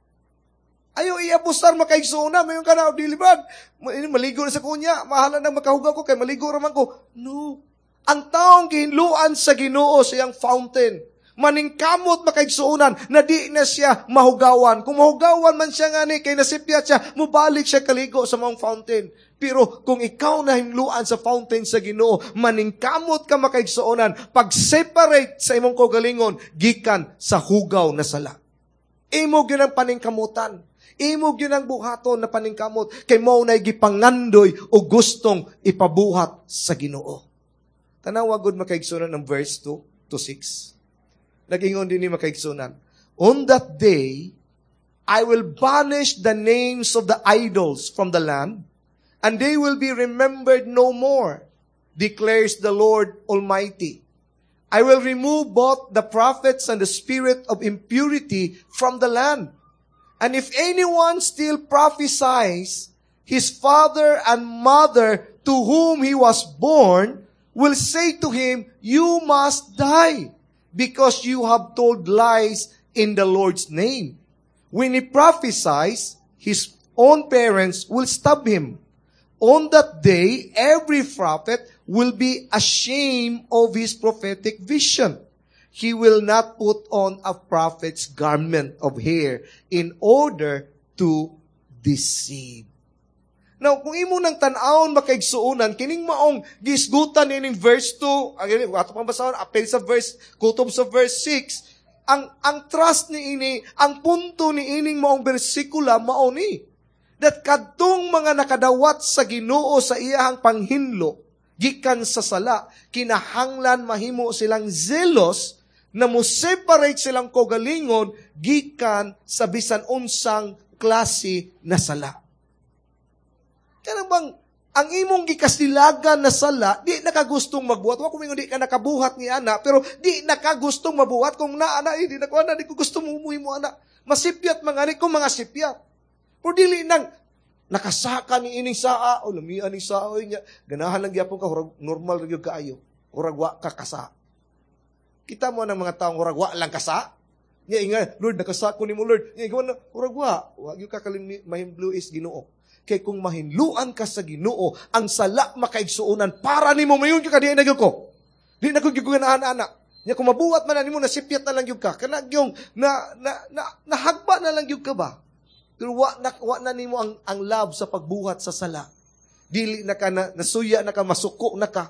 Ayo iabusar, makaigsuonan, mayon ka na, dili ba? Maligo na sa kunya, mahala na makahugaw ko kay maligo raman ko. No. Ang taong gihinluan sa Ginoo sa iyang fountain, maningkamot, makaigsuonan, na di na siya mahugawan. Kung mahugawan man siya ngani, kay nasipyat siya, mubalik siya kaligo sa maong fountain. Pero kung ikaw nahinluan sa fountain sa Ginoo, maningkamot ka, makaigsuonan, pag-separate sa imong kaugalingon, gikan sa hugaw na sala. Imo gyud ang paningkamutan. Imo gyud ang buhaton na paningkamot kay mao na gipangandoy o gustong ipabuhat sa Ginoo. Tanawa gud, makaigsuonan, ng verse 2 to 6. Nag-ingon din ni, makaigsuonan, "On that day, I will banish the names of the idols from the land, and they will be remembered no more, declares the Lord Almighty. I will remove both the prophets and the spirit of impurity from the land. And if anyone still prophesies, his father and mother to whom he was born will say to him, 'You must die, because you have told lies in the Lord's name.' When he prophesies, his own parents will stab him. On that day, every prophet will be ashamed of his prophetic vision. He will not put on a prophet's garment of hair in order to deceive." Now, kung imo nang tan-awon, makaigsuonan, kining maong gisgutan nining verse 2, ang ato pang basahon, apil sa verse, kutob sa verse 6, ang trust ni ini, ang punto ni ining maong bersikula mao ni that kadtong mga nakadawat sa Ginoo sa iyahang panghinlo gikan sa sala, kinahanglan mahimo silang zealous na mo separate silang kaugalingon gikan sa bisan unsang klase na sala. Kanang bang ang imong gikasilagan na sala, di nakagustong magbuhat. Wa ko mingon di ka nakabuhat ni ana, pero di nakagustong mabuhat. Kung naa na, eh, di na ko ana, di ko gusto mo mo ana. Masipyat mga ni kung mga sipyat. Pero dili nang nakasaka ni ining saa, o lamian ni saa, o niya, ganahan lang gyapon ka, hurag, normal ra gyud kaayo. Hurag wa ka kasa. Kita mo ng mga taong hurag wa lang kasa. Nya inga, "Lord, nakasa ko nimo, Lord." Nya inga, hurag wa. Wa gyud ka kalim mahimblu is Ginoo. Kay kung mahinluan ka sa Ginoo, ang sala, makaigsuonan para nimo mayon ka di na gyud ko. Di na ko gyud ganahan ana. Nya kung mabuhat man nimo, nasipyat na lang gyud ka. Kana gyung na na, na nahagba na lang gyud ka ba? Pero wa na nimo ang love sa pagbuhat sa sala. Dili na ka na, nasuya na ka, masuko na ka.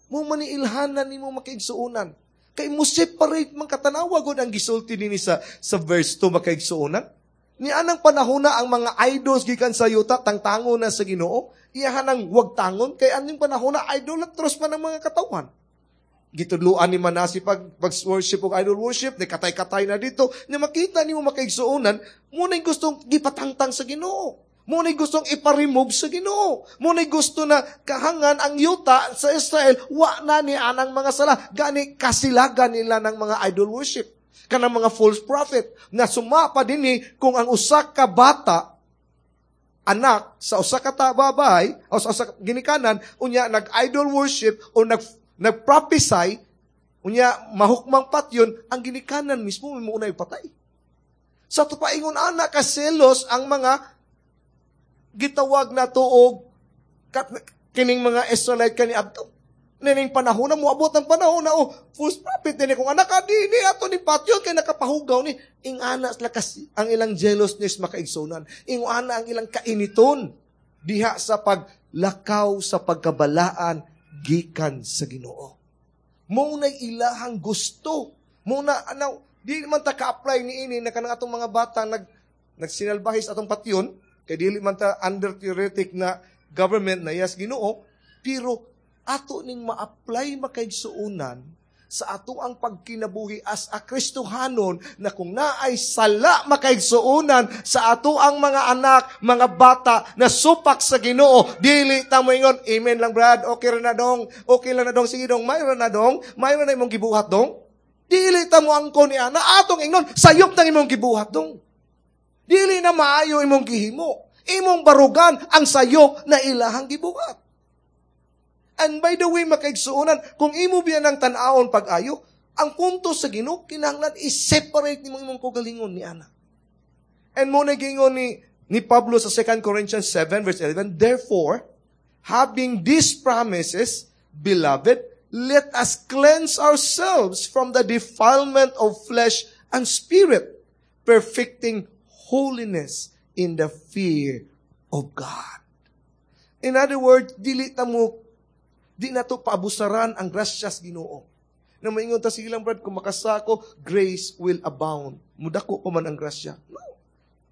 Mo maniilhanan nimo, makaigsuonan. Kay mo separate man katanawa gud ang gisulti dinhi sa verse 2, makaigsuonan. Ni anang panahon na ang mga idols gikan sa yuta tangtango na sa Ginoo, iyahan ang wag tangon kay aning panahon na idolatrous man ang mga katawhan. Gitudluan ni Manasi pag worship og idol worship, ni katay-katay na dito, ni makita nimo, makaigsuonan, mo na gustong gipatangtang sa Ginoo. Mo na gustong ipa-remove sa Ginoo. Mo na gusto na kahangan ang yuta sa Israel, wa na ni anang mga sala. Gani kasilagan nila ng mga idol worship. Kanang mga false prophet na sumapa dinhi kung ang usa ka bata, anak sa usa ka babay o sa usa ka ginikanan, unya nag-idol worship o nag-prophesy, unya mahukmang patyon ang ginikanan mismo, mo unay patay. Sa ato paingon ana ka selos ang mga gitawag na tuog kining mga Israelite kani adto. Nining panahon na moabot ang panahon na, oh, false prophet dinhi, kung anak ka di ni ato ni patyon kay nakapahugaw ni ingana sila kasi ang ilang jealousness, makaigsunan. Ingana ang ilang kainiton diha sa paglakaw sa pagkabalaan gikan sa Ginoo. Mo na ilahang gusto. Mo na ano, di man ta ka-apply ni ini na kanang atong mga bata nagsinalbahis atong patyon. Kay dili man ta under theoretic na government na yes Ginoo, pero ato ning ma-apply, makaigsuonan, sa ato ang pagkinabuhi as a Kristohanon na kung naay sala, makaigsuonan, sa ato ang mga anak, mga bata na supak sa Ginoo, dili ta moingon, "Amen lang, Brad, okay ra na dong, okay lang na dong, sige dong, maayo na dong, maayo na imong gibuhat dong." Dili ta mo angkon ni ana, atong ingnon, "Sayop nang imong gibuhat dong. Dili na maayo imong gihimo. Imong barugan ang sayop na ilahang gibuhat." And by the way, makaigsuonan, kung imo biya ng tan-awon pag-ayo, ang punto sa Ginoo, kinahanglan i-separate nimo imong kaugalingon ni ana. And mao na giingon ni Pablo sa 2 Corinthians 7 verse 11, "Therefore, having these promises, beloved, let us cleanse ourselves from the defilement of flesh and spirit, perfecting holiness in the fear of God." In other words, dili ta mo, di na to paabusaran ang grasyas Ginoo. Na maingon ta, "Sige lang, Brad, kung makasako, grace will abound. Mudako pa man ang grasya." No,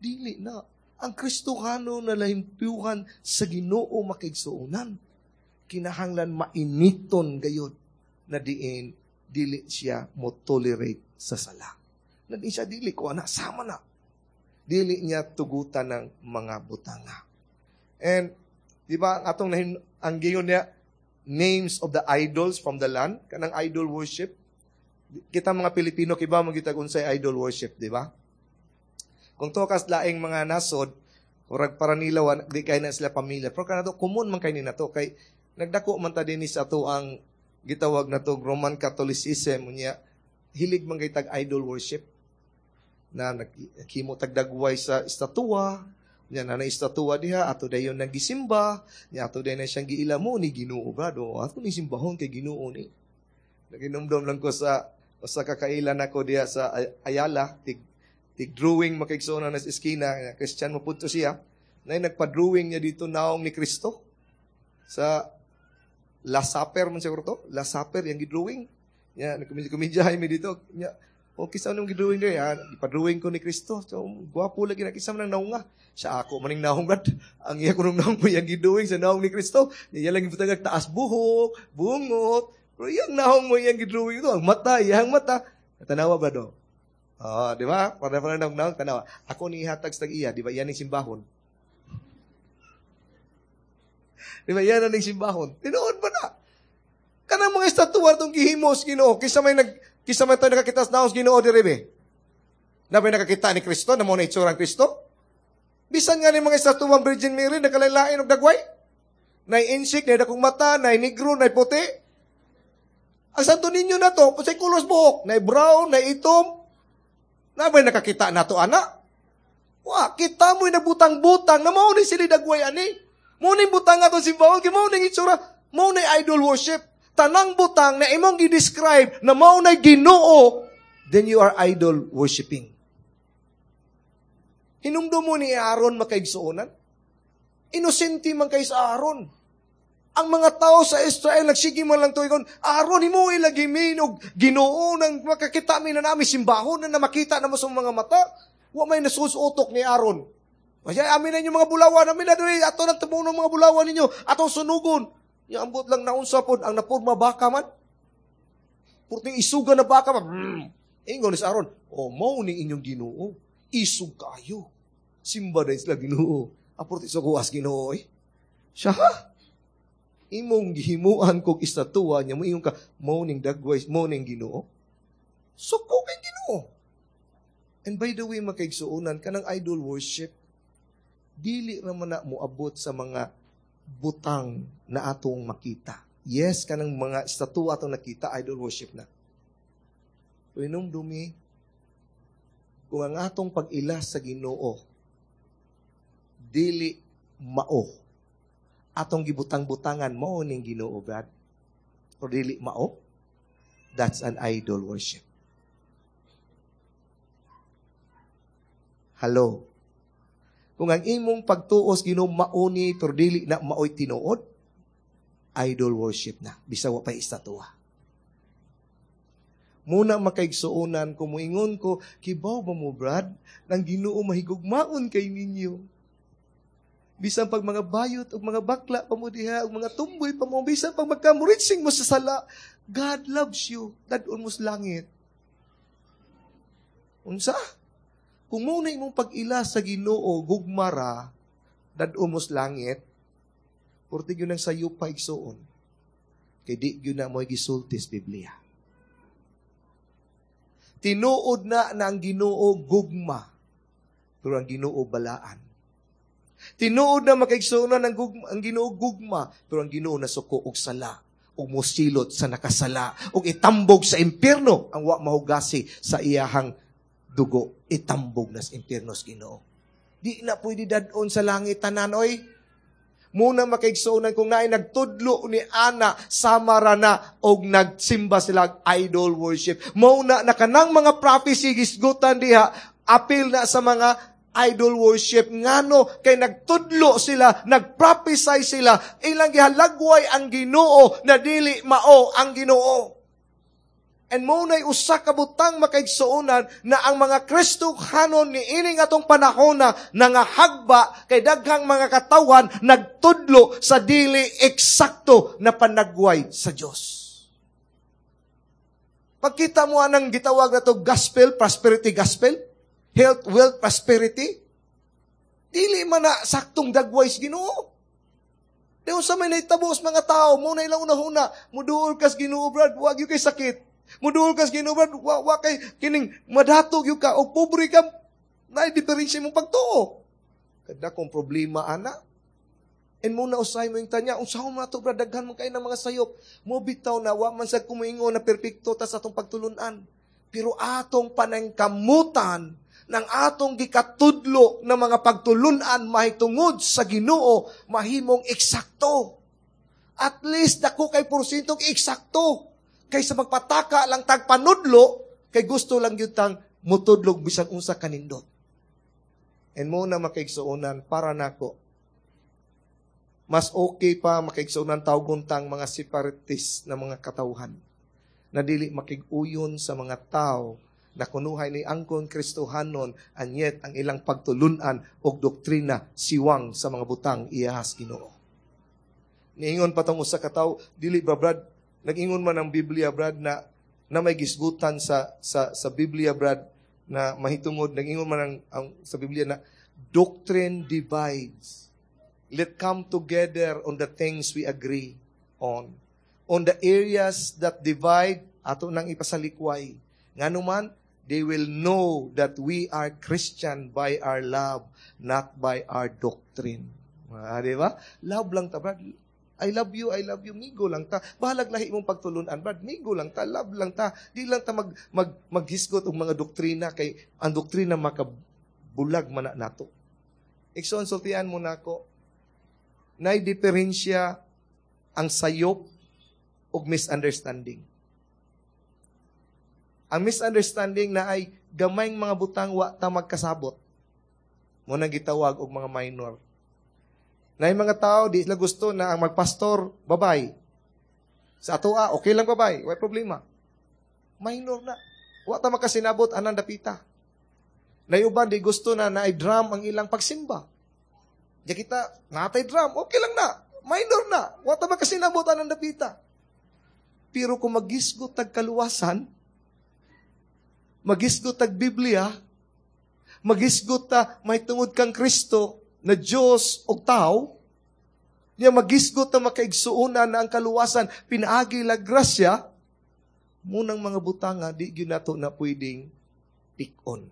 dili na. Ang Kristohano na lahimpyuhan sa Ginoo, makaigsuonan, kinahanglan mainiton gayod na diin dili siya mo tolerate sa sala. Na di siya dili ko ana sama na. Dili niya tugutan ng mga butanga. And di ba ang atong nahin, ang giyon niya names of the idols from the land, kanang idol worship. Kita mga Pilipino, kibaw man gyud unsay idol worship, di ba? Kung tukas laing mga nasod, murag para nila di kay na sila pamilya. Pero kanato common man kay ni nato kay nagdako man ta dinhi sa ato ang gitawag na to Roman Catholicism, unya hilig man kay tag idol worship na naghimo tag dagway sa estatwa nya na estatwa diha, ato dayon nagisimba nya, ato dayon na siyang giila mo ni Ginoo, brado, ato ni simbahon kay Ginoo ni. Naginumdum lang ko sa usa ka kailan ako diha sa Ayala, tig tig drawing, makaigsoon, na sa eskina. Christian mo pud to siya na nagpa-drawing niya dito naong ni Kristo sa Last Supper man siguro to, Last Supper yang gidrawing nya. Nagkomedya mi dito nya, okay sa anong gidrawing diri ha, ipa-drawing ko ni Kristo. So gwapo lagi na, kinsa man ang naunga siya, ako maning naong, brad. Ang iya kunong naong mo yang gidrawing sa naong ni Kristo. Iya lang gibutang taas buhok, bungot. Pero iyang naong mo iyang gidrawing ito, ang mata, iyang mata. Tanawa ba do? Oh, di ba? Para naong naong tanawa. Ako ni ihatag sa iya, di ba? Yan ang simbahon. Di ba? Yan ang simbahon. Tinuod ba na? Kanang mga estatwa itong gihimos Ginoo, kisa may tayo nakakita sa naong Ginoo diri be. Na may nakakita ni Kristo, na mo na itsura ang Kristo? Bisan nga ni mga estatwa Virgin Mary, nagkalain og dagway. Nay insik, nay dakong mata, nay negro, nay puti. Ang Santo Niño na to, sa kulos buhok, nay brown, nay itom. Na may nakakita na to, ana? Wa, kita mo'y nagbutang-butang, na mao ni sila dagway ani. Mao ni butang ato simbahon, kay mao ni itsura, mao ni idol worship. Tanang butang na imong gi-describe na mao na Ginoo, then you are idol worshiping. Hinumdum mo ni Aaron, makaigsuonan? Inosente man kay sa Aaron. Ang mga tao sa Israel, nagsige man lang tuigon, "Aaron, himo ilagi mi og Ginoo nang makakita mi na nami simbahon na, na makita na mo sa mga mata." Wa may nasusuotok ni Aaron. "Kaya amin na inyong mga bulawan, amin na diri ato nang tumuno mga bulawan ninyo, atong sunugon." Ya ambot lang naunsa pod ang napurma, baka man. Purting isuga na baka man. Ingon ni Aaron, "Oh, mao ni inyong Ginoo. Isug kayo." Simba din sila Ginoo. Apurti sa kuwas Ginoo eh. Siya ha? Imong gihimuan kog estatwa niya mo ingon ka mao ning dagway, mao ning Ginoo. Suko kay Ginoo. And by the way, makaigsuonan, kanang idol worship dili naman na moabot sa mga butang na atong makita. Yes, kanang mga estatwa atong nakita, idol worship na. Pero dumi, kung ang atong pag-ila sa Ginoo dili mao atong gibutang-butangan mao ning Ginoo, Brad, o dili mao, that's an idol worship. Hello. Kung ang imong pagtuos Ginoo mauni pero dili na maoy tinuod, idol worship na bisag wa pay estatwa. Muna makaigsuonan, kung moingon ko, "Kibaw ba mo, Brad, nang Ginoo mahigugmaon kay ninyo?" Bisan pag mga bayot ug mga bakla pa mo diha ug mga tumboy pa mo, bisan pag magkamuritsing mo sa sala, God loves you. Dad-on mo sa langit. Unsa? Kung mao na imong pag-ila sa Ginoo gugmara, dad-on mo sa langit, purti gyud nang sayo pa, igsuon. Kay di gyud na mo gisulti sa Biblia. Tinuod na na ang Ginoo gugma, pero ang Ginoo balaan. Tinuod na, makaigsuonan, ang Ginoo gugma, pero ang Ginoo nasuko og sala ug mosilot sa nakasala ug itambog sa impierno ang wa mahugasi sa iyahang dugo, itambog na sa impierno sa Ginoo. Di na pwede dad-on sa langit tanan, oy. Muna, makaigsuonan, kung naay nagtudlo ni ana, sama ra na og nagsimba sila idol worship. Mao na na kanang mga prophecy gisgutan diha apil na sa mga idol worship. Ngano? Kay nagtudlo sila, nagprophesy sila, ilang gihalagway ang Ginoo na dili mao ang Ginoo. And mao na'y usa ka butang, makaigsuonan, na ang mga Kristohanon ni ining atong panahon na nangahagba kay daghang mga katawan nagtudlo sa dili eksakto na panagway sa Dios. Pagkita mo anang gitawag na to gospel, prosperity gospel, health, wealth, prosperity, dili man na saktong dagway sa Ginoo. Di sa may nahitabo sa mga tao, mao na ilang unahuna, muduol kas Ginoo, brad, wa gyud kay sakit. Muduol kas Ginoo, brad, wa kay kining madatog gyud ka o pobre ka, naay diferensya mong pagtuo. Kada kong problema ana. And mao na usay mo yung tanya, unsa man to, brad, daghan man kay ng mga sayop. Mo bitaw na wa man sa kumuingon na perpekto ta sa atong pagtulunan. Pero atong panangkamutan ng atong gikatudlo ng mga pagtulunan mahitungod sa Ginoo mahimong eksakto. At least dako kay porsyentong eksakto kaysa magpataka lang tag panudlo kay gusto lang gyud tang mutudlog bisan unsa kanindot. And mao na, makaigsuonan, para nako mas okay pa, makaigsuonan, tawgon tang mga separatist na mga katawhan na dili makig-uyon sa mga tao na kunuhay ni angkon Kristohanon and yet ang ilang pagtulunan og doktrina siwang sa mga butang iyahas Ginoo. Niingon pa tong usa ka tawo, "Dili ba, brad, nag-ingon man ang Biblia, brad, na na may gisgutan sa Biblia, brad, na mahitungod nag-ingon man ang sa Biblia na doctrine divides. Let come together on the things we agree on. On the areas that divide, ato nang ipasalikway. Ngano man, they will know that we are Christian by our love, not by our doctrine." Ah, di ba? Love lang ta, brad. I love you, I love you, migo lang ta. Bahalag lahi mong pagtulunan, brad, migo lang ta, love lang ta. Di lang ta maghisgot og mga doktrina kay ang doktrina makabulag man na nato. Igsoon, sultian mo nako, nay diferensya ang sayop og misunderstanding. Ang misunderstanding na ay gamayng mga butang wa ta magkasabot. Mao nang gitawag og mga minor. Na yung mga tao, di sila gusto na ang magpastor, babay. Sa atoa, okay lang babay, way problema. Minor na. Wa ta makasinabot anang dapita. Na uban, di gusto na naay drum ang ilang pagsimba. Di kita, natay drum, okay lang na. Minor na. Wa ta makasinabot anang dapita. Pero kung magisgot tag kaluwasan, magisgot tag Biblia, magisgot ta may tungod kang Kristo na Diyos o tao, niya magisgot na makaigsuonan na ang kaluwasan pinaagi la grasya, munang mga butanga di gyud nato na pwedeng pikon.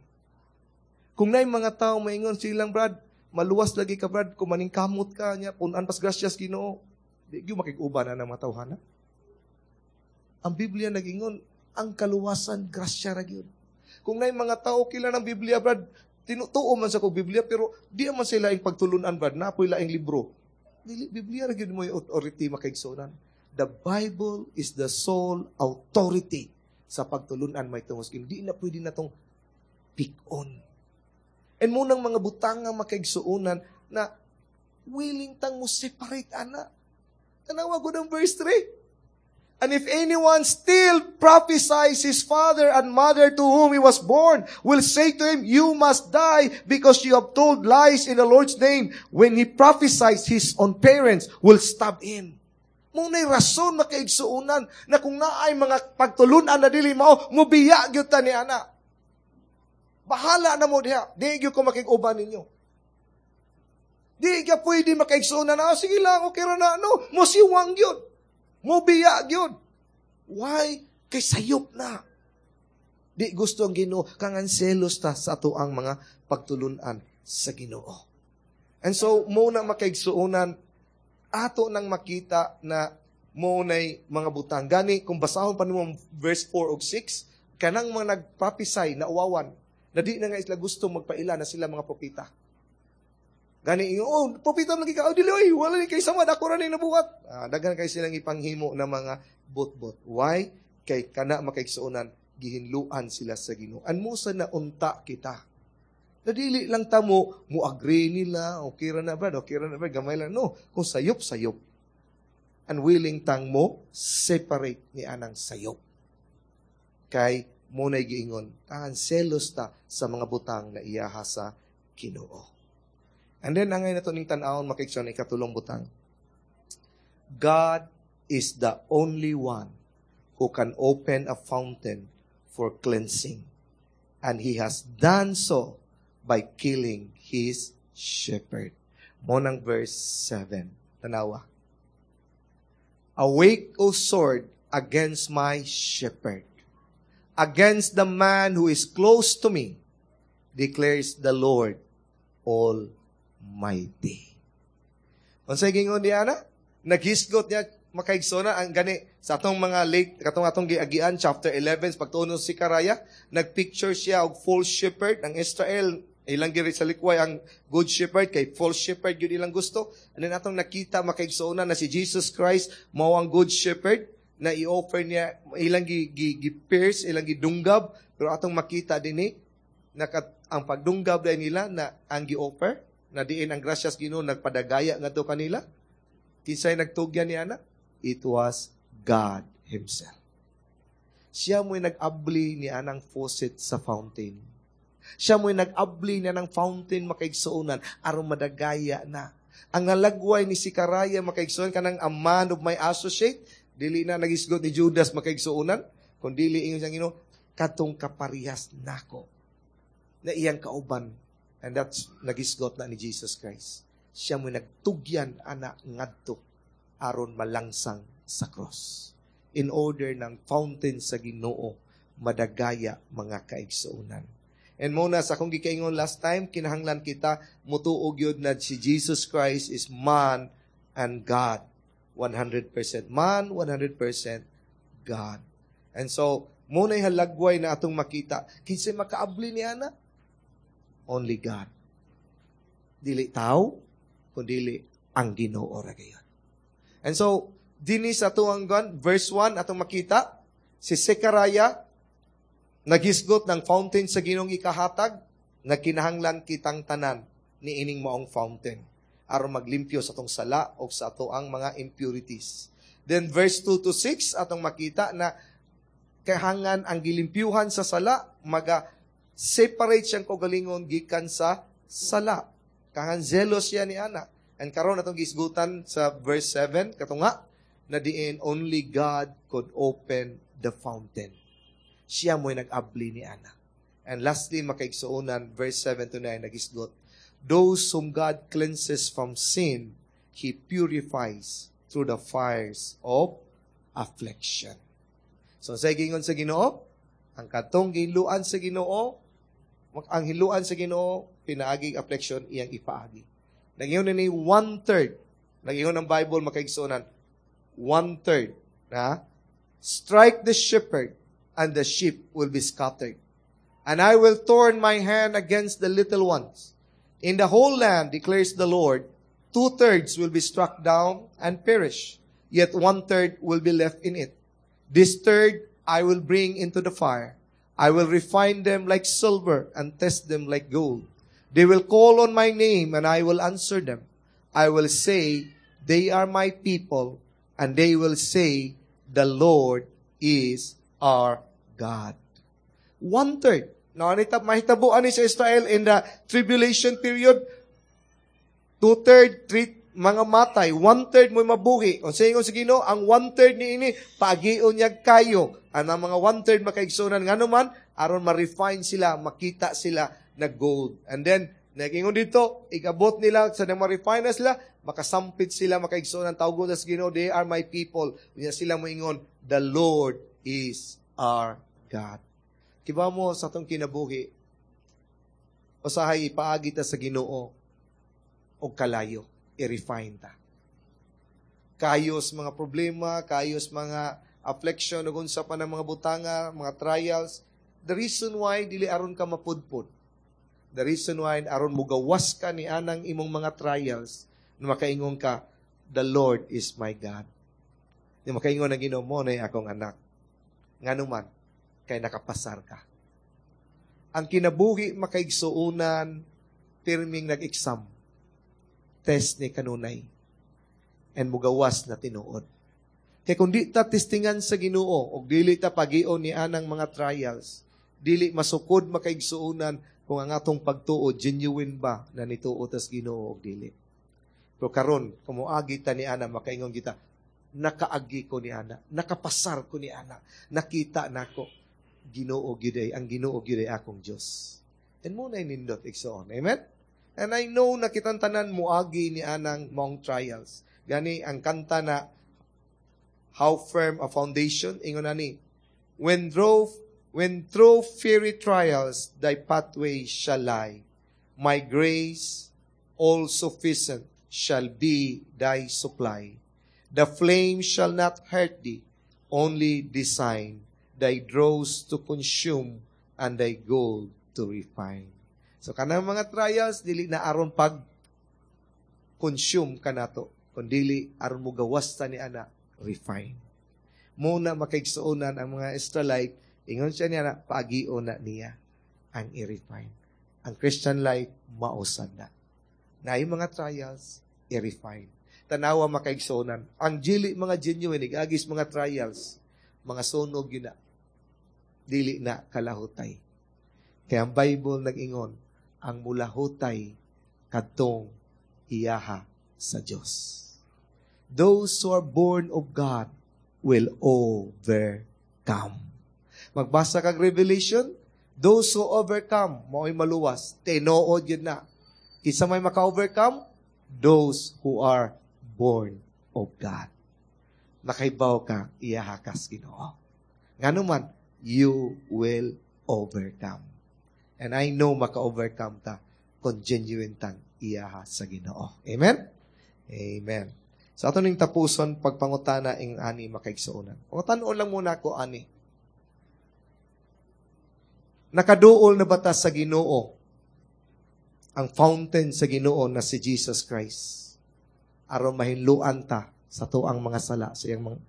Kung naay mga tao maingon silang, "Brad, maluwas lagi ka, brad, kung maningkamot ka niya, punan pas grasyas Ginoo," di gyud makig-uban na ng mga tawhana. Ang Biblia nagingon, ang kaluwasan grasya ra gyud. Kung naay mga tao kila ng Biblia, brad, tinutuo man sa kog Biblia, pero di man sila ing pagtulunan, brad, napoy laing libro. Dili, Biblia ra gyud mo yung authority, makaigsuonan. The Bible is the sole authority sa pagtulunan may tungos. Hindi na pwede na tong pick on. And munang mga butang nga, makaigsuonan, na willing tang mo separate ana. Tanawa ko ng verse 3. And if anyone still prophesies, his father and mother to whom he was born will say to him, 'You must die because you have told lies in the Lord's name.' When he prophesies, his own parents will stab him." Mao na'y rason, makaigsuonan, na kung naay mga pagtulunan na dili mao, mubiya gyud ta ni ana. Bahala na mo diha. Di gyud ko makig-uban ninyo. Di ka pwede makaigsuonan na, "Ah, sige lang, okay ra na." No, musiwang gyud. Mubiya gyud. Why? Kay sayop na. Di gusto ang Ginoo kangan selos ta sa ato ang mga pagtulunan sa Ginoo. And so mao na, makaigsuonan, ato nang makita na mao nay mga butang. Gani kung basahon pa nimo verse 4 ug 6, kanang mga nagprophesy na uwawan, na di na nga sila gusto magpaila na sila mga propeta. Gani, "Oh, propeta lagi ka." "Oh, dili oy, wala ni kay samad, ako ra ni nabuhat." Ah, daghan kay silang ipanghimo na mga bot-bot. Why? Kay kana, makaigsuonan, gihinluan sila sa Ginoo. An musa na unta kita. Nadili lang ta mo agree nila, okay ra na brad, okay ra na brad, gamay lang. No, kung sayop, sayop. And willing tang mo separate ni anang sayop. Kay mao na'y giingon, tangan selos ta sa mga butang na iyaha sa Ginoo. And then, angay nato ning tan-awon, makaigsoon, ikatulong butang. God is the only one who can open a fountain for cleansing. And He has done so by killing His shepherd. Mao nang verse 7. Tanawa. "Awake, O sword, against my shepherd, against the man who is close to me, declares the Lord Almighty." Unsay gingon niya na? Naghisgot niya, makaigsoona, ang gani sa atong mga late katong atong giagian chapter 11 pagtuon sa Zechariah, nagpicture siya og false shepherd ang Israel, ilang giri sa likway ang good shepherd kay false shepherd gyud ilang gusto. And then atong nakita, makaigsoona, na si Jesus Christ mao ang good shepherd na i-offer niya, ilang gi pierce, ilang gidunggab, pero atong makita dinhi nakat ang pagdunggab dahil nila na ang gi-offer na diin ang grasyas Ginoo nagpadagaya ngadto kanila. Kinsay nagtugyan ni ana? It was God himself. Siya mo'y nag-abli ni anang faucet sa fountain. Siya mo'y nag-abli ni anang fountain, makaigsuonan, aron madagaya na. Ang nalagway ni Zechariah, makaigsuonan, kanang "a man of my associate," dili na nagisgot ni Judas, makaigsuonan, kung dili ingon siyang Ginoo, katong kaparehas nako na iyang kauban. And that's nagisgot na ni Jesus Christ. Siya mo nagtugyan ana ngadto aron malangsang sa cross. In order ng fountain sa Ginoo madagaya, mga kaigsuonan. And mao na sa akong gikaingon last time, kinahanglan kita mutuo gyud na si Jesus Christ is man and God. 100% man, 100% God. And so, mao na'y halagway na atong makita. Kinsay makaabli ni ana? Only God. Dili tao, kundili ang Ginoo ra gayud. And so, dinhi sa atuang gan, verse 1, atong makita, si Zechariah, naghisgot ng fountain sa Ginoong ikahatag, na kinahanglan kitang tanan ni ining maong fountain aron maglimpyo sa atong sala o sa ato ang mga impurities. Then verse 2 to 6, atong makita na kahangan ang gilimpyuhan sa sala, maga separate siyang kaugalingon gikan sa sala. Kahangan zelos siya ni ana. And karon atong gisgutan sa verse 7 katunga na diin only God could open the fountain. Siya mo'y nag-abli ni ana. And lastly, makaigsuonan, verse 7 to 9, nagisgot, those whom God cleanses from sin, He purifies through the fires of affliction. So, sa gingon sa Ginoo, ang katong giluan sa Ginoo, ang hiluan sa Ginoo, pinaagi affliction, iyang ipaagi. Nag-ingon ni one-third. Nag-ingon ng Bible, makaigsuonan, one-third. Na? "Strike the shepherd, and the sheep will be scattered. And I will turn my hand against the little ones. In the whole land, declares the Lord, two-thirds will be struck down and perish, yet one-third will be left in it. This third I will bring into the fire. I will refine them like silver and test them like gold. They will call on my name and I will answer them. I will say, 'They are my people,' and they will say, "The Lord is our God." One third. Now, anita, mahitabo ani sa Israel in the tribulation period? Two-third, three, mga matay, one-third mo mabuhi. O sa ingon sa Ginoo, ang one-third ni ini, paagion niya kayo. Ang mga one-third makaigsunan, ngano man, aron ma-refine sila, makita sila na gold. And then, nagingon dito, igabot nila, sa nang ma-refine na sila, makasampit sila, makaigsunan, tawgon sa Ginoo, "They are my people." Unya sila moingon, "The Lord is our God." Kibaw mo sa atong kinabuhi, usahay ipaagi ta sa Ginoo og kalayo, i-refine ta. Kayos mga problema, kayos mga affliction, ug unsa pa ng mga butanga, mga trials. The reason why dili aron ka mapudpud. The reason why aron mugawas ka ni anang imong mga trials, na makaingon ka, "The Lord is my God." Di makaingon ang Ginoo mo na akong anak. Ngano man, kay nakapasar ka. Ang kinabuhi, makaigsuunan, pirming nag-exam. Test ni kanunay. And mugawas na tinuod. Kay kung di ta testingan sa Ginoo og dili ta pagion ni anang mga trials, dili masukod, makaigsuunan, kung ang atong pagtuo genuine ba na nituo tas Ginoo og dili. Pero karon, kung moagi ta ni ana, makaingon kita, "Nakaagi ko ni ana, nakapasar ko ni ana, nakita nako Ginoo gyud ay, ang Ginoo gyud ay akong Dios." And mao na nindot, igsoon. Amen? And I know na kitang tanan moagi ni anang maong trials. Gani ang kanta na "How Firm a Foundation", ingon ani, When through fiery trials thy pathway shall lie, my grace all sufficient shall be thy supply. The flame shall not hurt thee, only design thy dross to consume and thy gold to refine." So kanang mga trials dili na aron pag consume kanato, kundili aron mo gawas ta ni ana, refine. Muna makaigsuonan ang mga Israelite, ingon siya niya na paagio na niya ang i-refine. Ang Christian life mausad na. Na yung mga trials, i-refine. Tanawa, makaigsuonan. Ang dili mga genuine, igagis mga trials, mga sunog yun na. Dili na kalahutay. Kaya ang Bible nag-ingon, ang mulahutay kadtong iyaha sa Dios. Those who are born of God will overcome. Magbasa kag Revelation, those who overcome, mao'y maluwas. Tinuod yun na. Kinsa may maka-overcome? Those who are born of God. Nakaibaw ka, iyaha kas Ginoo. Ngano man, you will overcome. And I know maka-overcome ta kung genuine tang iyaha sa Ginoo. Amen? Amen. Sa ato ning tapuson pagpangutana ing ani, makaigsuonan. Pangutanon lang muna ako ani. Nakaduol na ba ta sa Ginoo? Ang fountain sa Ginoo na si Jesus Christ. Aron mahinluan ta sa tuang mga sala sa iyang mga.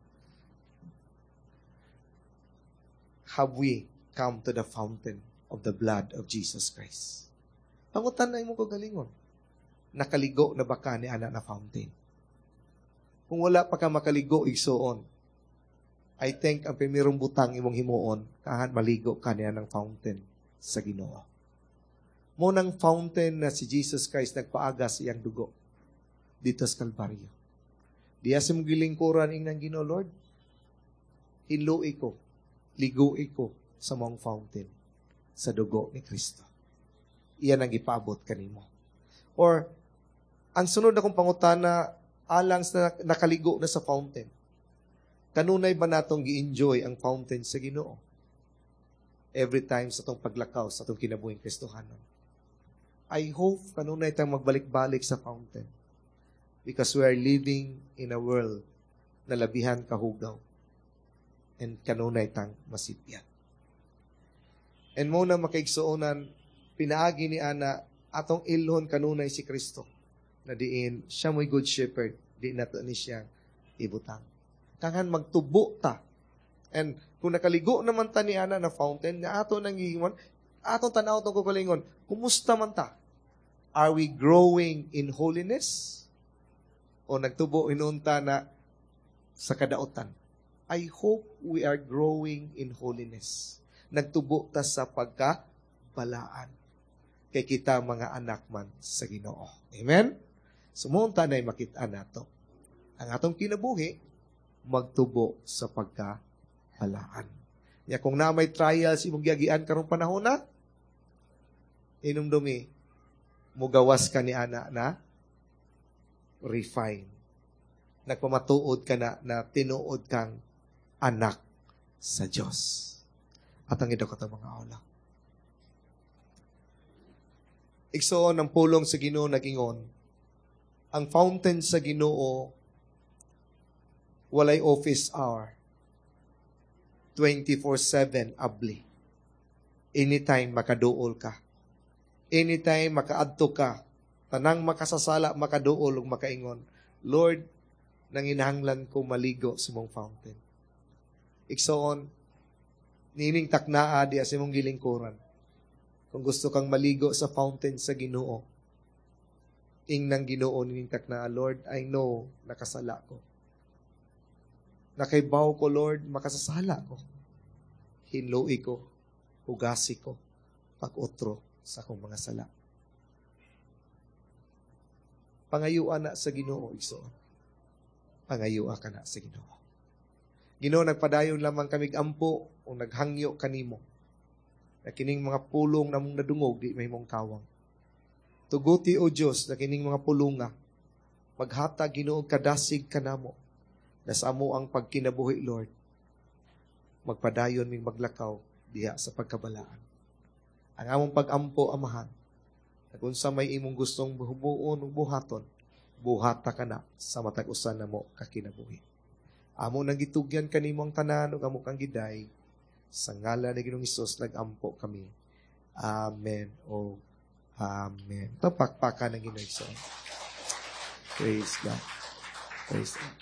Have we come to the fountain of the blood of Jesus Christ? Pangutan na imong kagalingon. Nakaligo na ba ka ni ana na fountain? Kung wala pa ka makaligo, igsuon, I think ang primerong butang imong himuon, kahan maligo ka niya ng fountain sa Ginoo. Mo nang fountain na si Jesus Christ nagpaaga sa iyang dugo dito sa Kalbaryo. Diya sa mong gilingkuran ing ng Ginoo, "Lord, hinlui ko, ligui ko sa mong fountain sa dugo ni Kristo." Iyan ang gipaabot kanimo. Or, ang sunod akong pangutana, alang sa nakaligo na sa fountain, kanunay ba natong gi-enjoy ang fountain sa Ginoo? Every time sa atong paglakaw sa atong kinabuhing Kristohanon. I hope kanunay tayong magbalik-balik sa fountain. Because we are living in a world na labihan kahugaw. And kanunay tang masipyan. And mo na makaigsuonan, pinaagi ni ana atong ilhon kanunay si Kristo. Na diin, siya mo'y good shepherd, di nato ni siya ibutang. Kangan magtubo ta. And kung nakaligo naman ta ni ana na fountain, na ato nang giingon, atong tanaw tong kagalingon, kumusta man ta? Are we growing in holiness? O nagtubo inunta na sa kadautan? I hope we are growing in holiness. Nagtubo ta sa pagkabalaan. Kay kita mga anak man sa Ginoo. Amen? So, mao unta na makita nato. Ang atong kinabuhi, magtubo sa pagkabalaan. Ya kung na may trials imong giagian karong panahon na, inumdumi, mugawas ka ni ana na refine. Nagpamatuod ka na na tinuod kang anak sa Diyos. At ang ito ka mga ola. Igsoon, ang pulong sa Ginoo nagingon, ang fountain sa Ginoo walay office hour. 24/7 abli. Anytime makaduol ka. Anytime makaadto ka. Tanang makasasala makaduol ug makaingon, "Lord, nanginahanglan ko maligo sa imong fountain." Igsoon, niining taknaa diya sa imong gilingkuran. Kung gusto kang maligo sa fountain sa Ginoo, ingnang Ginoo nining taknaa, "Lord, I know nakasala ko. Nakaibaw ko, Lord, makasasala ko. Hinloi ko, hugasi ko, pag-utro sa akong mga sala." Pangayuan na sa Ginoo, igsoon. Pangayua ka na sa Ginoo. Ginoo, nagpadayon lamang kamig ampo o naghangyo kanimo. Na kining mga pulong namong nadungog, di mahimong kawang. Tuguti, O Diyos, na kining mga pulunga, maghatag, Ginoo, kadasig kanamo na sa amo ang pagkinabuhi, Lord, magpadayon ming maglakaw diha sa pagkabalaan. Ang among pag-ampo, Amahan, na kung sa may imong gustong buhuon o buhaton, buhata ka na sa matag usa namo kakinabuhi. Amo nang gitugyan kanimo ang tanan ug amo kang giday. Sa ngalan ni Ginoong Hesus nag-ampo kami. Amen o amen. Ito pakpakan ng Ginoo. Praise God. Praise God.